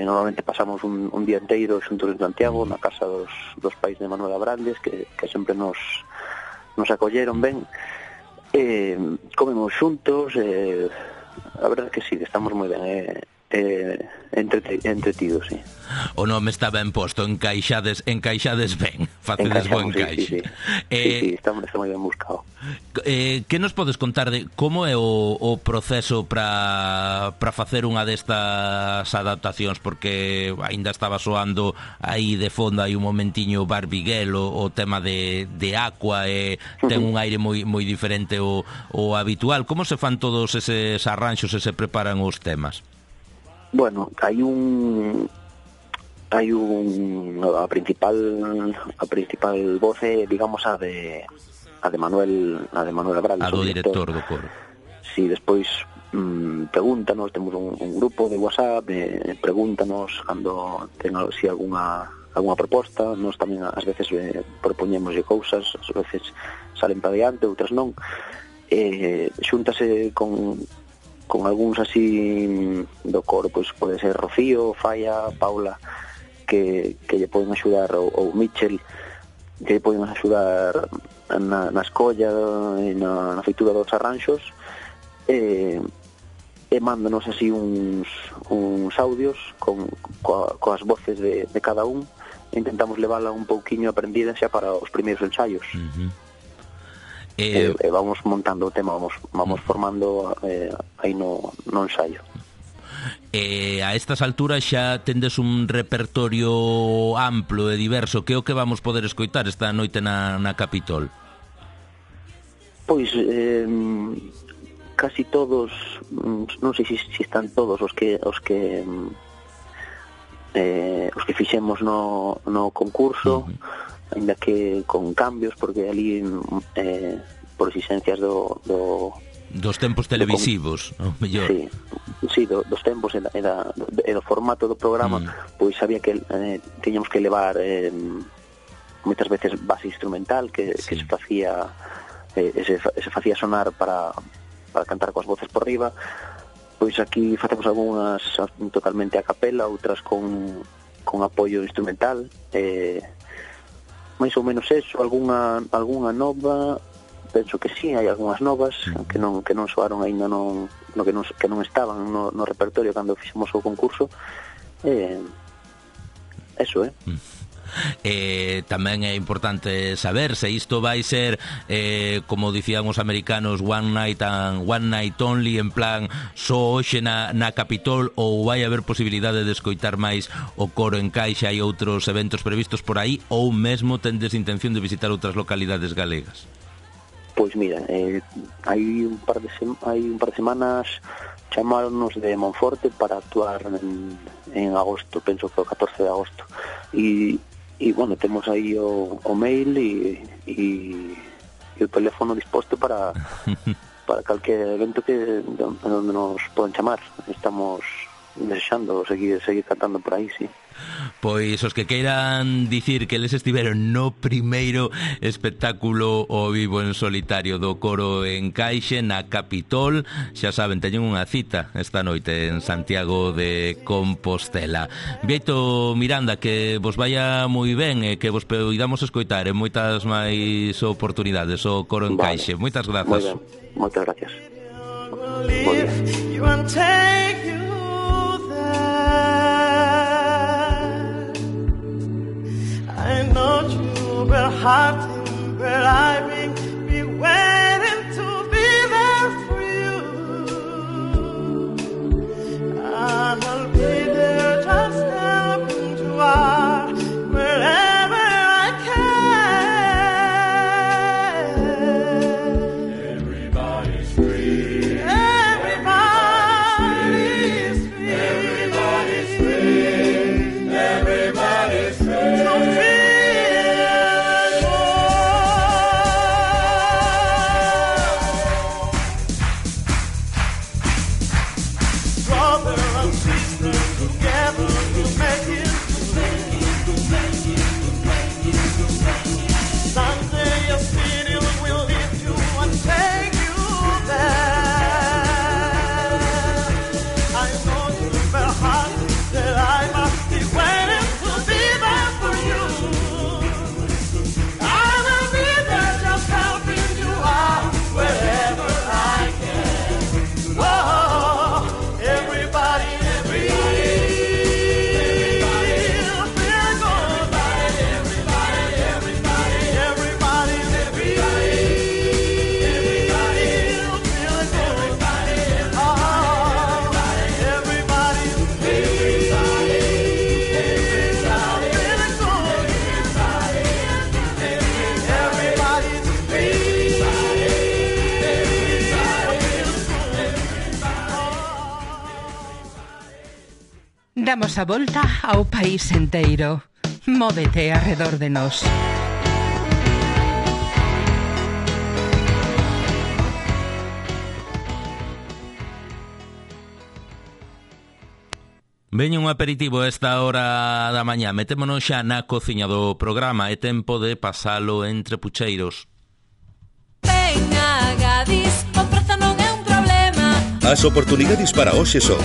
normalmente pasamos un día inteiro xuntos en Santiago, na casa dos pais de Manuel Abrandes, que sempre nos acolleron ben, comemos xuntos, a verdade que sí, estamos moi ben, entretido, sí. O nome está ben posto, encaixades ben, facedes bo encaixe. Sí, está moi ben buscado. Que nos podes contar de como é o proceso para facer unha destas adaptacións, porque aínda estaba soando aí de fondo hai un momentiño Barbiguel, o tema de Aqua, ten un aire moi diferente ao habitual. Como se fan todos eses arranxos e se preparan os temas? Bueno, a principal voz é, digamos, a de Manuel Abral, a do director do coro. Si, despois pregúntanos, temos un grupo de WhatsApp, pregúntanos cando ten si algunha proposta. Nós tamén ás veces propoñémoslle cousas, ás veces salen para diante, outras non. Xúntase con algúns así do coro, pois pode ser Rocío, Falla, Paula, que lle poden axudar, ou Michel, que lle poden axudar na escolla e na feitura dos arranxos, e mándanos así uns audios coas voces de cada un, e intentamos levala un pouquiño aprendida xa para os primeiros ensaios. Vamos montando o tema, vamos formando aí no ensaio. A estas alturas xa tendes un repertorio amplo e diverso. Que é o que vamos poder escoitar esta noite na Capitol? Pois casi todos, non sei se están todos os que fixemos no concurso, ainda que con cambios, porque ali por exigencias dos tempos televisivos, o mellor. Sí, dos tempos e do formato do programa, pois sabía que tiñamos que levar moitas veces base instrumental que se facía sonar para cantar coas voces por riba. Pois aquí facemos algunhas totalmente a capela, outras con apoio instrumental, máis ou menos eso. Algunha nova, penso que sí, hai algunhas novas que non soaron aínda, que non estaban no repertorio cando fixemos o concurso. Eso, tamén é importante saber se isto vai ser como dicían os americanos, one night only, en plan só hoxe na Capitol, ou vai haber posibilidade de escoitar máis o coro en Caixa e outros eventos previstos por aí, ou mesmo tendes intención de visitar outras localidades galegas? Pois mira, hai un par de semanas chamáronos de Monforte para actuar en agosto, penso que o 14 de agosto, e bueno, temos aí o mail e o teléfono disposto para calquer evento onde nos poden chamar. Estamos desexando seguir cantando por aí, sí. Pois os que queiran dicir que les estiveron no primeiro espectáculo ao vivo en solitario do coro en Caixe na Capitol, xa saben, teñen unha cita esta noite en Santiago de Compostela. Vieito Miranda, que vos vaya moi ben e que vos poidamos escoitar en moitas máis oportunidades o coro en Caixe. Moitas grazas. Moitas gracias. I know you will have to, but I will be waiting to be there for you. I'll be there just helping to out wherever I can. Everybody's free. Everybody's free. Everybody's free. Everybody's free. Damos a volta ao país enteiro. Móvete arredor de nós. Veño un aperitivo a esta hora da mañá. Metémonos xa na cociña do programa. É tempo de pasalo entre pucheiros. Venga, Gadis, o prezo non é un problema. As oportunidades para hoxe son: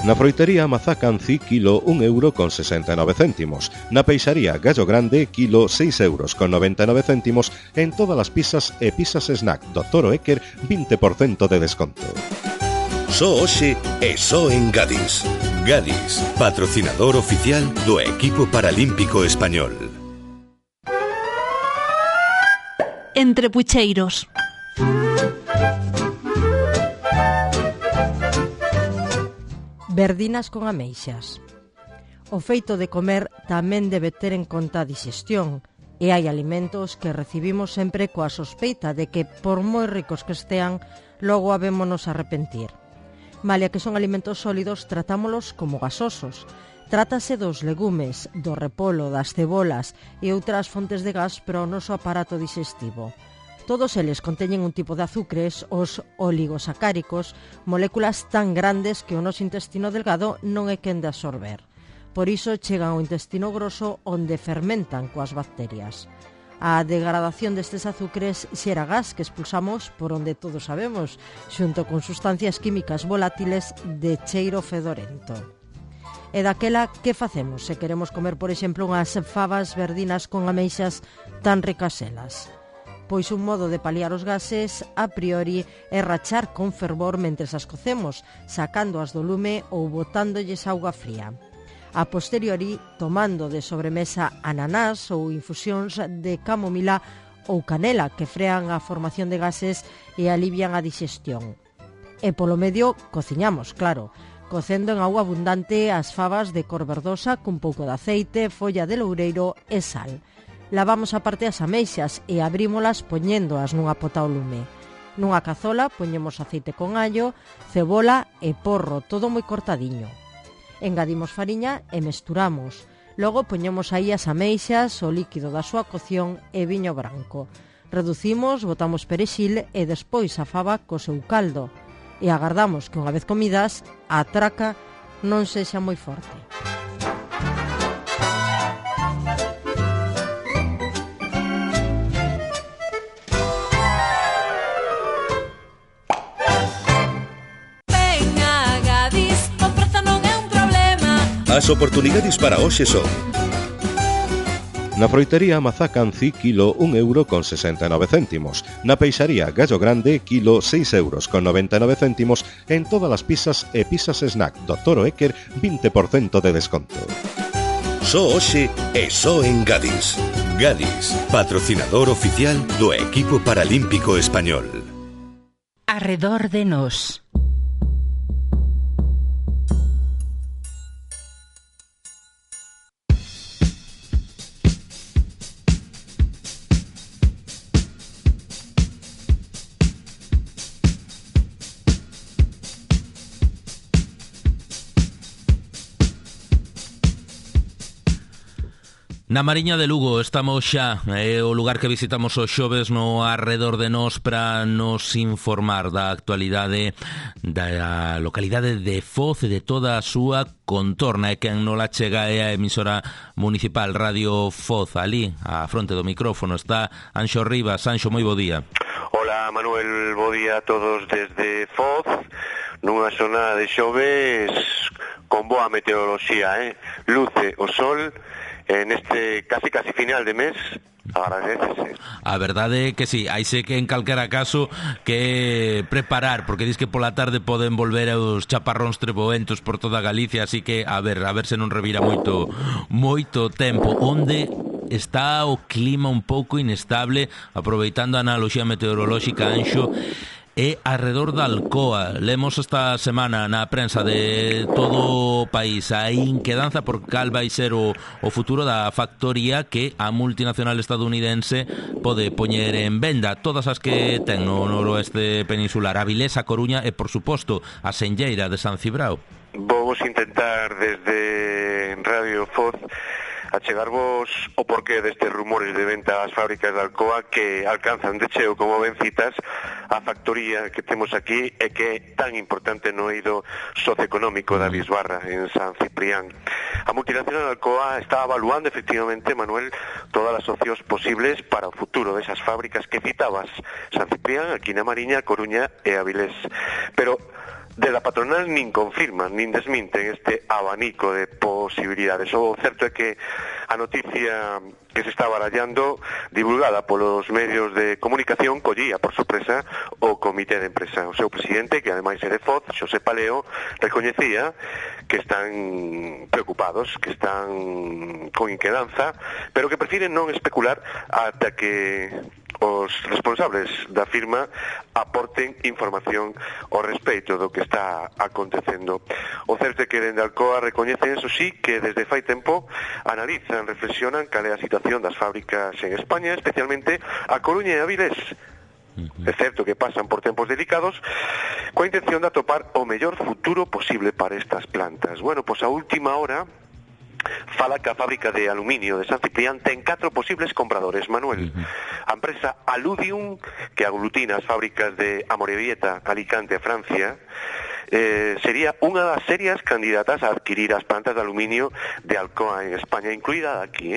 na froitería Mazá Canci, kilo 1,69 €. Na peixaría Gallo Grande, kilo 6,99 €. En todas as pizzas e pizzas snack do Toro Eker, 20% de desconto. Só hoxe e só en Gadis. Gadis, patrocinador oficial do equipo paralímpico español. Entre pucheiros. Verdinas con ameixas. O feito de comer tamén debe ter en conta a digestión, e hai alimentos que recibimos sempre coa sospeita de que, por moi ricos que estean, logo habémonos arrepentir. Malia que son alimentos sólidos, tratámolos como gasosos. Trátase dos legumes, do repolo, das cebolas e outras fontes de gas para o noso aparato digestivo. Todos eles conteñen un tipo de azúcares, os oligosacáricos, moléculas tan grandes que o noso intestino delgado non é quen de absorber. Por iso chegan ao intestino groso, onde fermentan coas bacterias. A degradación destes azúcares xera gas que expulsamos por onde todos sabemos, xunto con sustancias químicas volátiles de cheiro fedorento. E daquela, que facemos se queremos comer, por exemplo, unhas fabas verdinas con ameixas tan ricas elas? Pois un modo de paliar os gases, a priori, é rachar con fervor mentres as cocemos, sacándoas do lume ou botándolles auga fría. A posteriori, tomando de sobremesa ananás ou infusións de camomila ou canela que frean a formación de gases e alivian a digestión. E polo medio, cociñamos, claro, cocendo en auga abundante as fabas de cor verdosa cun pouco de aceite, folla de loureiro e sal. Lavamos aparte as ameixas e abrímolas poñéndoas nunha pota ao lume. Nunha cazola poñemos aceite con allo, cebola e porro, todo moi cortadiño. Engadimos fariña e mesturamos. Logo poñemos aí as ameixas, o líquido da súa cocción e viño branco. Reducimos, botamos perexil e despois a faba co seu caldo. E agardamos que unha vez comidas, a traca non sexa moi forte. As oportunidades para hoxe son: na froitería Mazá Canci, kilo 1,69 €. Na peixaría Gallo Grande, kilo 6,99 €. En todas as pizzas e pizzas snack do Toro Eker, 20% de desconto. Só hoxe e só en Gadis. Gadis, patrocinador oficial do equipo paralímpico español. Arredor de nós. Na Mariña de Lugo estamos xa, é o lugar que visitamos os xoves no Arredor de Nós para nos informar da actualidade da localidade de Foz e de toda a súa contorna, e quen non la chega é a emisora municipal Radio Foz. Ali, á fronte do micrófono, está Anxo Rivas. Anxo, moi bo día. Hola Manuel, bo día a todos desde Foz, nunha zona de xoves con boa meteoroloxía, luce o sol neste casi final de mes. Agradecese. A verdade é que sí, hai que en calquera caso que preparar, porque dis que pola tarde poden volver os chaparróns treboentos por toda Galicia, así que a ver se non revira moito tempo. Onde está o clima un pouco inestable, aproveitando a analoxía meteorolóxica, Anxo, e arredor da Alcoa. Lemos esta semana na prensa de todo o país a inquedanza por cal vai ser o futuro da factoría que a multinacional estadounidense pode poñer en venda. Todas as que ten no noroeste peninsular, Avilés, A Coruña e, por suposto, a Senlleira de San Cibrao. Vamos intentar desde Radio Foz achegarvos o porqué destes rumores de venta ás fábricas de Alcoa que alcanzan de cheo, como ben citas, a factoría que temos aquí e que é tan importante no eido socioeconómico da Bisbarra, en San Ciprián. A multinacional Alcoa está evaluando efectivamente, Manuel, todas as opcións posibles para o futuro desas fábricas que citabas, San Ciprián, aquí na Mariña, Coruña e Avilés. Pero de la patronal nin confirman, nin desminten este abanico de posibilidades. O certo é que a noticia que se está barallando, divulgada polos medios de comunicación, collía por sorpresa o comité de empresa. O seu presidente, que ademais é de Foz, Xosé Paleo, recoñecía que están preocupados, que están con inquedanza, pero que prefiren non especular ata que os responsables da firma aporten información ao respecto do que está acontecendo. O certo é que dende Alcoa recoñecen, eso sí, que desde fai tempo analizan, reflexionan cal é a situación das fábricas en España, especialmente a Coruña e a Avilés. É certo que pasan por tempos delicados coa intención de atopar o mellor futuro posible para estas plantas. Bueno, pois a última hora fala que a fábrica de aluminio de San Ciprián ten 4 posibles compradores, Manuel. A empresa Aludium, que aglutina as fábricas de Amorebieta, Alicante e Francia, sería unha das serias candidatas a adquirir as plantas de aluminio de Alcoa en España, incluída aquí,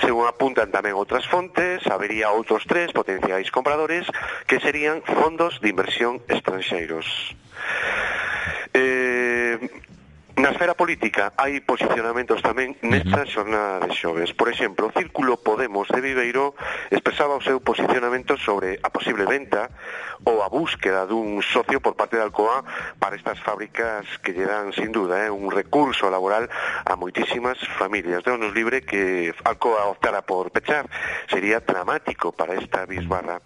Según apuntan tamén outras fontes, habería outros 3 potenciais compradores que serían fondos de inversión estranxeiros. Na esfera política hai posicionamentos tamén nesta xornada de xoves. Por exemplo, o Círculo Podemos de Viveiro expresaba o seu posicionamento sobre a posible venta ou a búsqueda dun socio por parte de Alcoa para estas fábricas que lle dan, sin duda, un recurso laboral a moitísimas familias. Deus libre que Alcoa optara por pechar. Sería dramático para esta Bisbarra.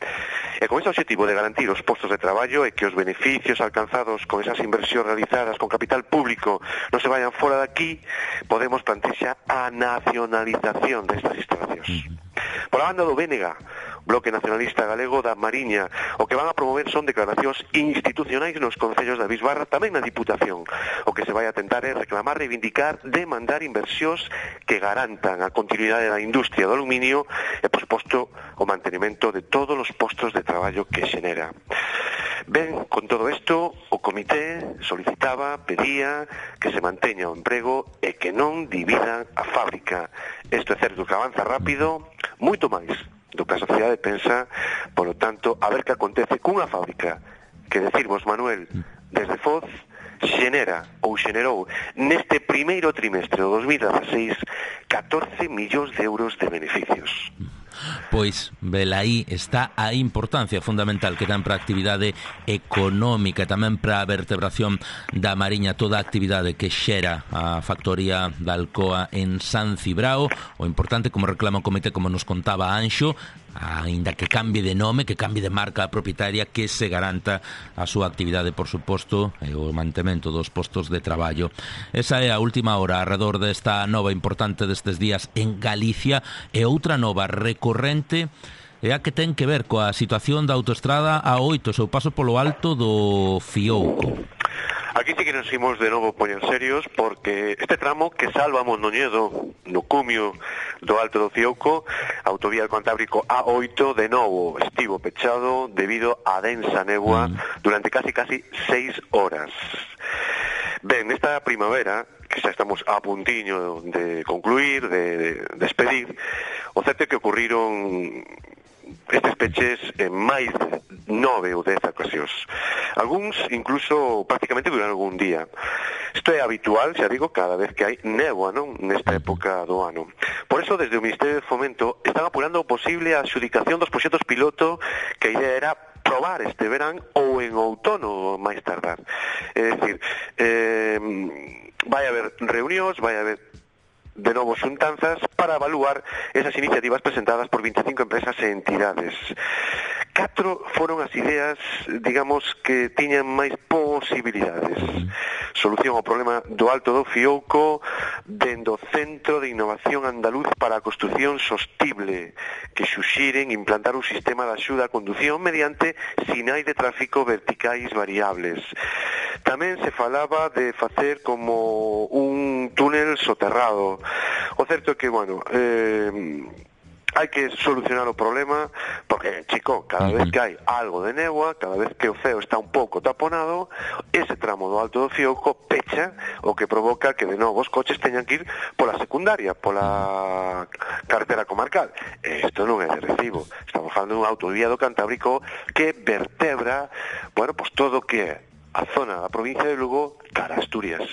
E con ese objetivo de garantir os postos de traballo e que os beneficios alcanzados con esas inversións realizadas con capital público non se vayan fora de aquí, Podemos plantexa a nacionalización destas instalacións. Por a banda do Bénega, Bloque Nacionalista Galego da Mariña, o que van a promover son declaracións institucionais nos concellos da Bisbarra, tamén na Diputación. O que se vai a tentar é reclamar, reivindicar, demandar inversións que garantan a continuidade da industria do aluminio e, por suposto, o mantenimento de todos os postos de traballo que xenera. Ben, con todo isto, o comité solicitaba, pedía que se manteña o emprego e que non dividan a fábrica. Isto é certo que avanza rápido, moito máis do que a sociedade pensa, polo tanto, a ver que acontece cunha fábrica que, decirvos, Manuel, desde Foz, xenera ou xenerou neste primeiro trimestre do 2016 14 millóns de euros de beneficios. Pois, velaí está a importancia fundamental que ten para a actividade económica, tamén para a vertebración da Mariña, toda a actividade que xera a factoría da Alcoa en San Cibrao. O importante, como reclama o comité, como nos contaba Anxo, aínda que cambie de nome, que cambie de marca propietaria, que se garanta a súa actividade, por suposto, e o mantemento dos postos de traballo. Esa é a última hora arredor desta nova importante destes días en Galicia, e outra nova recorrente é a que ten que ver coa situación da autoestrada A8, seu paso polo alto do Fiouco. Aquí sí que nos imos de novo poñer serios, porque este tramo que salva Mondoñedo no cumio do Alto do Fiouco, autovía del Cantábrico A8, de novo estivo pechado debido a densa néboa durante casi 6 horas. Ben, nesta primavera, que xa estamos a puntiño de concluir, de despedir, o certo é que ocurriron estes peches en máis de 9 ou 10 ocasións. Algúns incluso prácticamente duran algún día. Isto é habitual, xa digo, cada vez que hai néboa, non? Nesta época do ano. Por eso, desde o Ministerio de Fomento están apurando o posible a adxudicación dos proxectos piloto que a idea era probar este verán ou en outono máis tardar. É dicir, vai haber reunións, vai haber de novo xuntanzas para evaluar esas iniciativas presentadas por 25 empresas e entidades 4 foron as ideas, digamos, que tiñan máis posibilidades. Solución ao problema do Alto do Fiouco dende o Centro de Innovación Andaluz para a Construción Sostible, que xuxiren implantar un sistema de axuda a condución mediante sinais de tráfico verticais variables. Tamén se falaba de facer como un túnel soterrado. O certo é que, bueno, hai que solucionar o problema porque, chico, cada vez que hai algo de néboa, cada vez que o ceo está un pouco taponado, ese tramo do Alto do Fiouco pecha, o que provoca que de novo os coches teñan que ir pola secundaria, pola carretera comarcal. Isto non é de recibo. Estamos falando dun autovía do Cantábrico que vertebra, bueno, pues todo o que é a zona da provincia de Lugo cara a Asturias.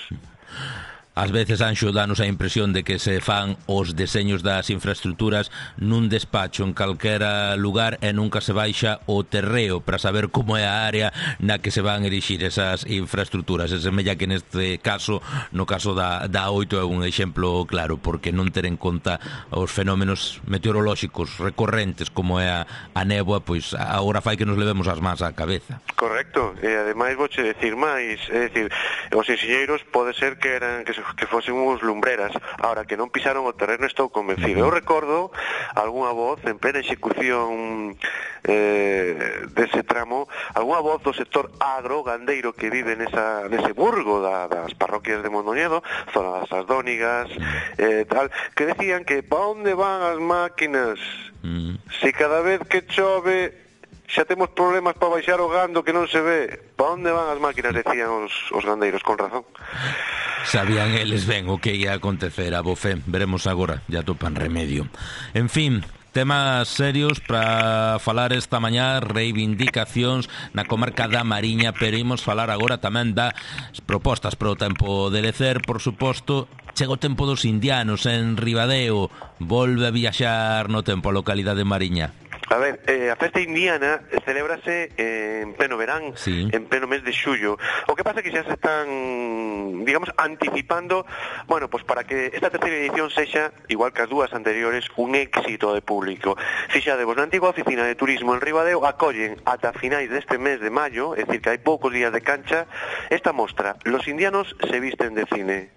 Ás veces, Anxo, danos a impresión de que se fan os deseños das infraestructuras nun despacho en calquera lugar e nunca se baixa o terreo para saber como é a área na que se van erixir esas infraestructuras. E semella que neste caso, no caso da 8 é un exemplo claro, porque non ter en conta os fenómenos meteorolóxicos recorrentes como é a néboa, pois agora fai que nos levemos as mans á cabeza. Correcto, e ademais vouche decir máis, é dicir, os enxeñeiros pode ser que fosen uns lumbreras, ahora que non pisaron o terreno estou convencido. Eu recordo algunha voz en plena execución dese tramo, algunha voz do sector agro-gandeiro que vive nese burgo das parroquias de Mondoñedo, zona das Asdónigas, tal, que decían que pa onde van as máquinas? Se cada vez que chove xa temos problemas para baixar o gando que non se ve. Pa onde van as máquinas? Decían os gandeiros, con razón. Sabían eles ben o que ia acontecer a Bofé. Veremos agora, ya topan remedio. En fin, temas serios para falar esta mañá, reivindicacións na comarca da Mariña, pero imos falar agora tamén das propostas para o tempo de lecer, por suposto. Chega o tempo dos indianos en Ribadeo, volve a viaxar no tempo a localidade de Mariña. A ver, a festa indiana celébrase en pleno verán, sí, en pleno mes de xullo. O que pasa é que xa se están, digamos, anticipando, bueno, pues para que esta terceira edición sexa, igual que as dúas anteriores, un éxito de público. Fixadevos, na antigua oficina de turismo en Ribadeo acollen ata finais deste mes de maio, é dicir que hai poucos días de cancha, esta mostra, Los indianos se visten de cine.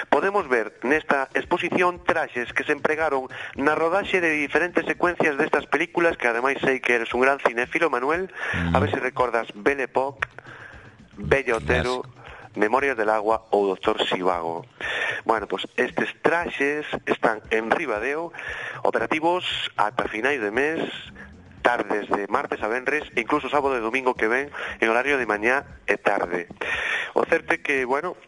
Podemos ver nesta exposición traxes que se empregaron na rodaxe de diferentes secuencias destas películas, que ademais sei que eres un gran cinéfilo, Manuel, a ver se recordas Belle Époque, Bella Otero, Memorias del Agua ou Doctor Sivago. Bueno, pues estes traxes están en Ribadeo, operativos ata finais de mes, tardes de martes a venres e incluso sábado e domingo que ven en horario de mañá e tarde. O certo é que, bueno,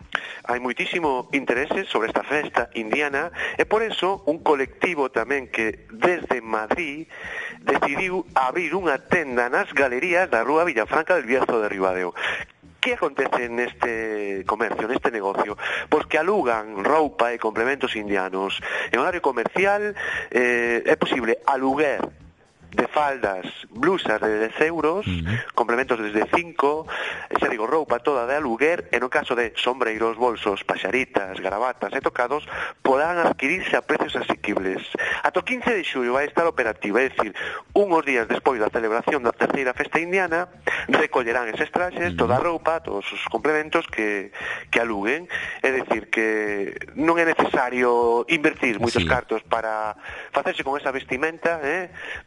hai moitísimo interese sobre esta festa indiana e por eso un colectivo tamén que desde Madrid decidiu abrir unha tenda nas galerías da Rúa Villafranca del Bierzo de Ribadeo. Que acontece neste comercio, neste negocio? Pois que alugan roupa e complementos indianos. En horario comercial é posible aluguer de faldas, blusas de 10 euros, complementos desde 5, xa digo, roupa toda de aluguer, e no caso de sombreiros, bolsos, paxaritas, garabatas e tocados, poderán adquirirse a precios asequibles. Ata o 15 de xullo vai estar operativa, é dicir, unhos días despois da celebración da terceira festa indiana, recollerán eses traxes, toda a roupa, todos os complementos que aluguen, é dicir, que non é necesario invertir moitos cartos para facerse con esa vestimenta,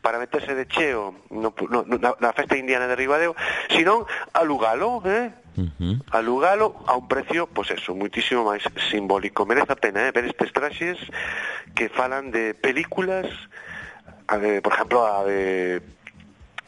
para meter de cheo na festa indiana de Ribadeo, sino alugalo, alugalo a un precio, pois eso, muitísimo máis simbólico. Merece a pena ver estes traxes que falan de películas, por exemplo, a de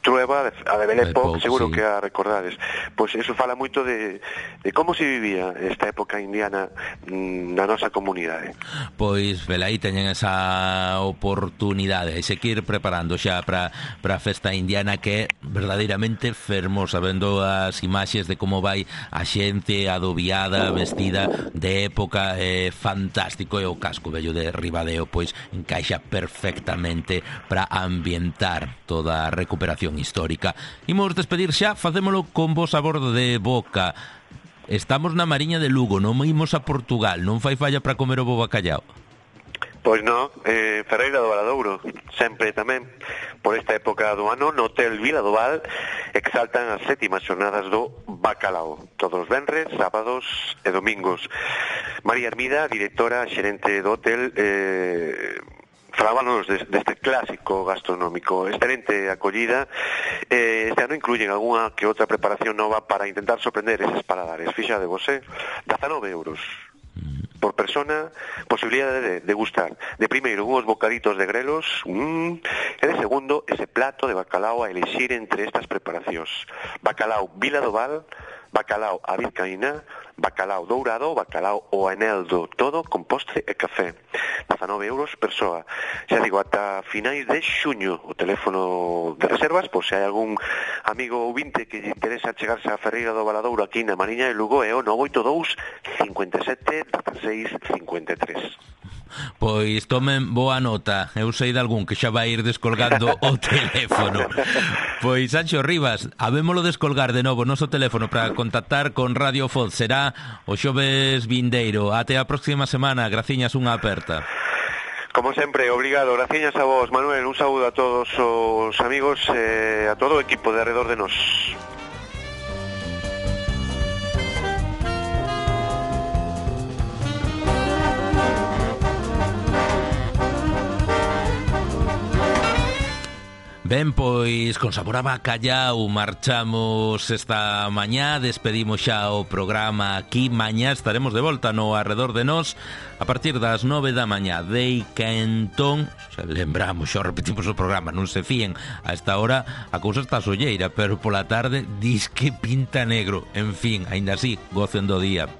Trueba, a de Belle Époque, seguro sí, que a recordades. Pois eso fala moito de como se vivía esta época indiana na nosa comunidade. Pois, velaí teñen esa oportunidade e se que ir preparando xa para a festa indiana, que é verdadeiramente fermosa, vendo as imaxes de como vai a xente adobiada, vestida de época, fantástico, e o casco vello de Ribadeo pois encaixa perfectamente para ambientar toda a recuperación histórica. Imos despedir xa, facémolo con bo sabor de boca. Estamos na Mariña de Lugo, non imos a Portugal, non fai falla para comer o bo bacallao. Pois non, Ferreira do Valadouro, sempre tamén. Por esta época do ano, no Hotel Vila do Val exaltan as 7ª xornadas do Bacalao, todos os venres, sábados e domingos. María Hermida, directora xerente do hotel, falábanos deste clásico gastronómico. Excelente acollida. Este ano incluyen algunha que outra preparación nova para intentar sorprender eses paladares. Fíxade vos, 19 euros por persona, posibilidade de degustar de primeiro unhos bocaditos de grelos e de segundo ese plato de bacalao a elixir entre estas preparacións: bacalao Vila do Val, bacalao a vizcaína, bacalao dourado, bacalao o aneldo, todo con postre e café. 19 euros persoa. Xa digo, ata finais de xuño. O teléfono de reservas, por se hai algún amigo ouvinte que lle interesa chegarse a Ferreira do Valadouro aquí na Mariña de Lugo, é o 982 57 16 53. Pois tomen boa nota. Eu sei de algún que xa vai ir descolgando o teléfono. Pois Sancho Rivas, habémolo descolgar de novo o noso teléfono para contactar con Radio Foz. Será o xoves vindeiro. Até a próxima semana. Graciñas, unha aperta. Como sempre, obrigado. Graciñas a vos, Manuel. Un saúdo a todos os amigos, a todo o equipo de Arredor de Nos. Ben, pois, con sabor a bacallau marchamos esta mañá, despedimos xa o programa aquí. Mañá estaremos de volta no Arredor de Nos a partir das 9 da mañá. Dei que entón, xa lembramos, xa repetimos o programa, non se fíen, a esta hora a cousa está solleira, pero pola tarde dis que pinta negro. En fin, aínda así, gocen do día.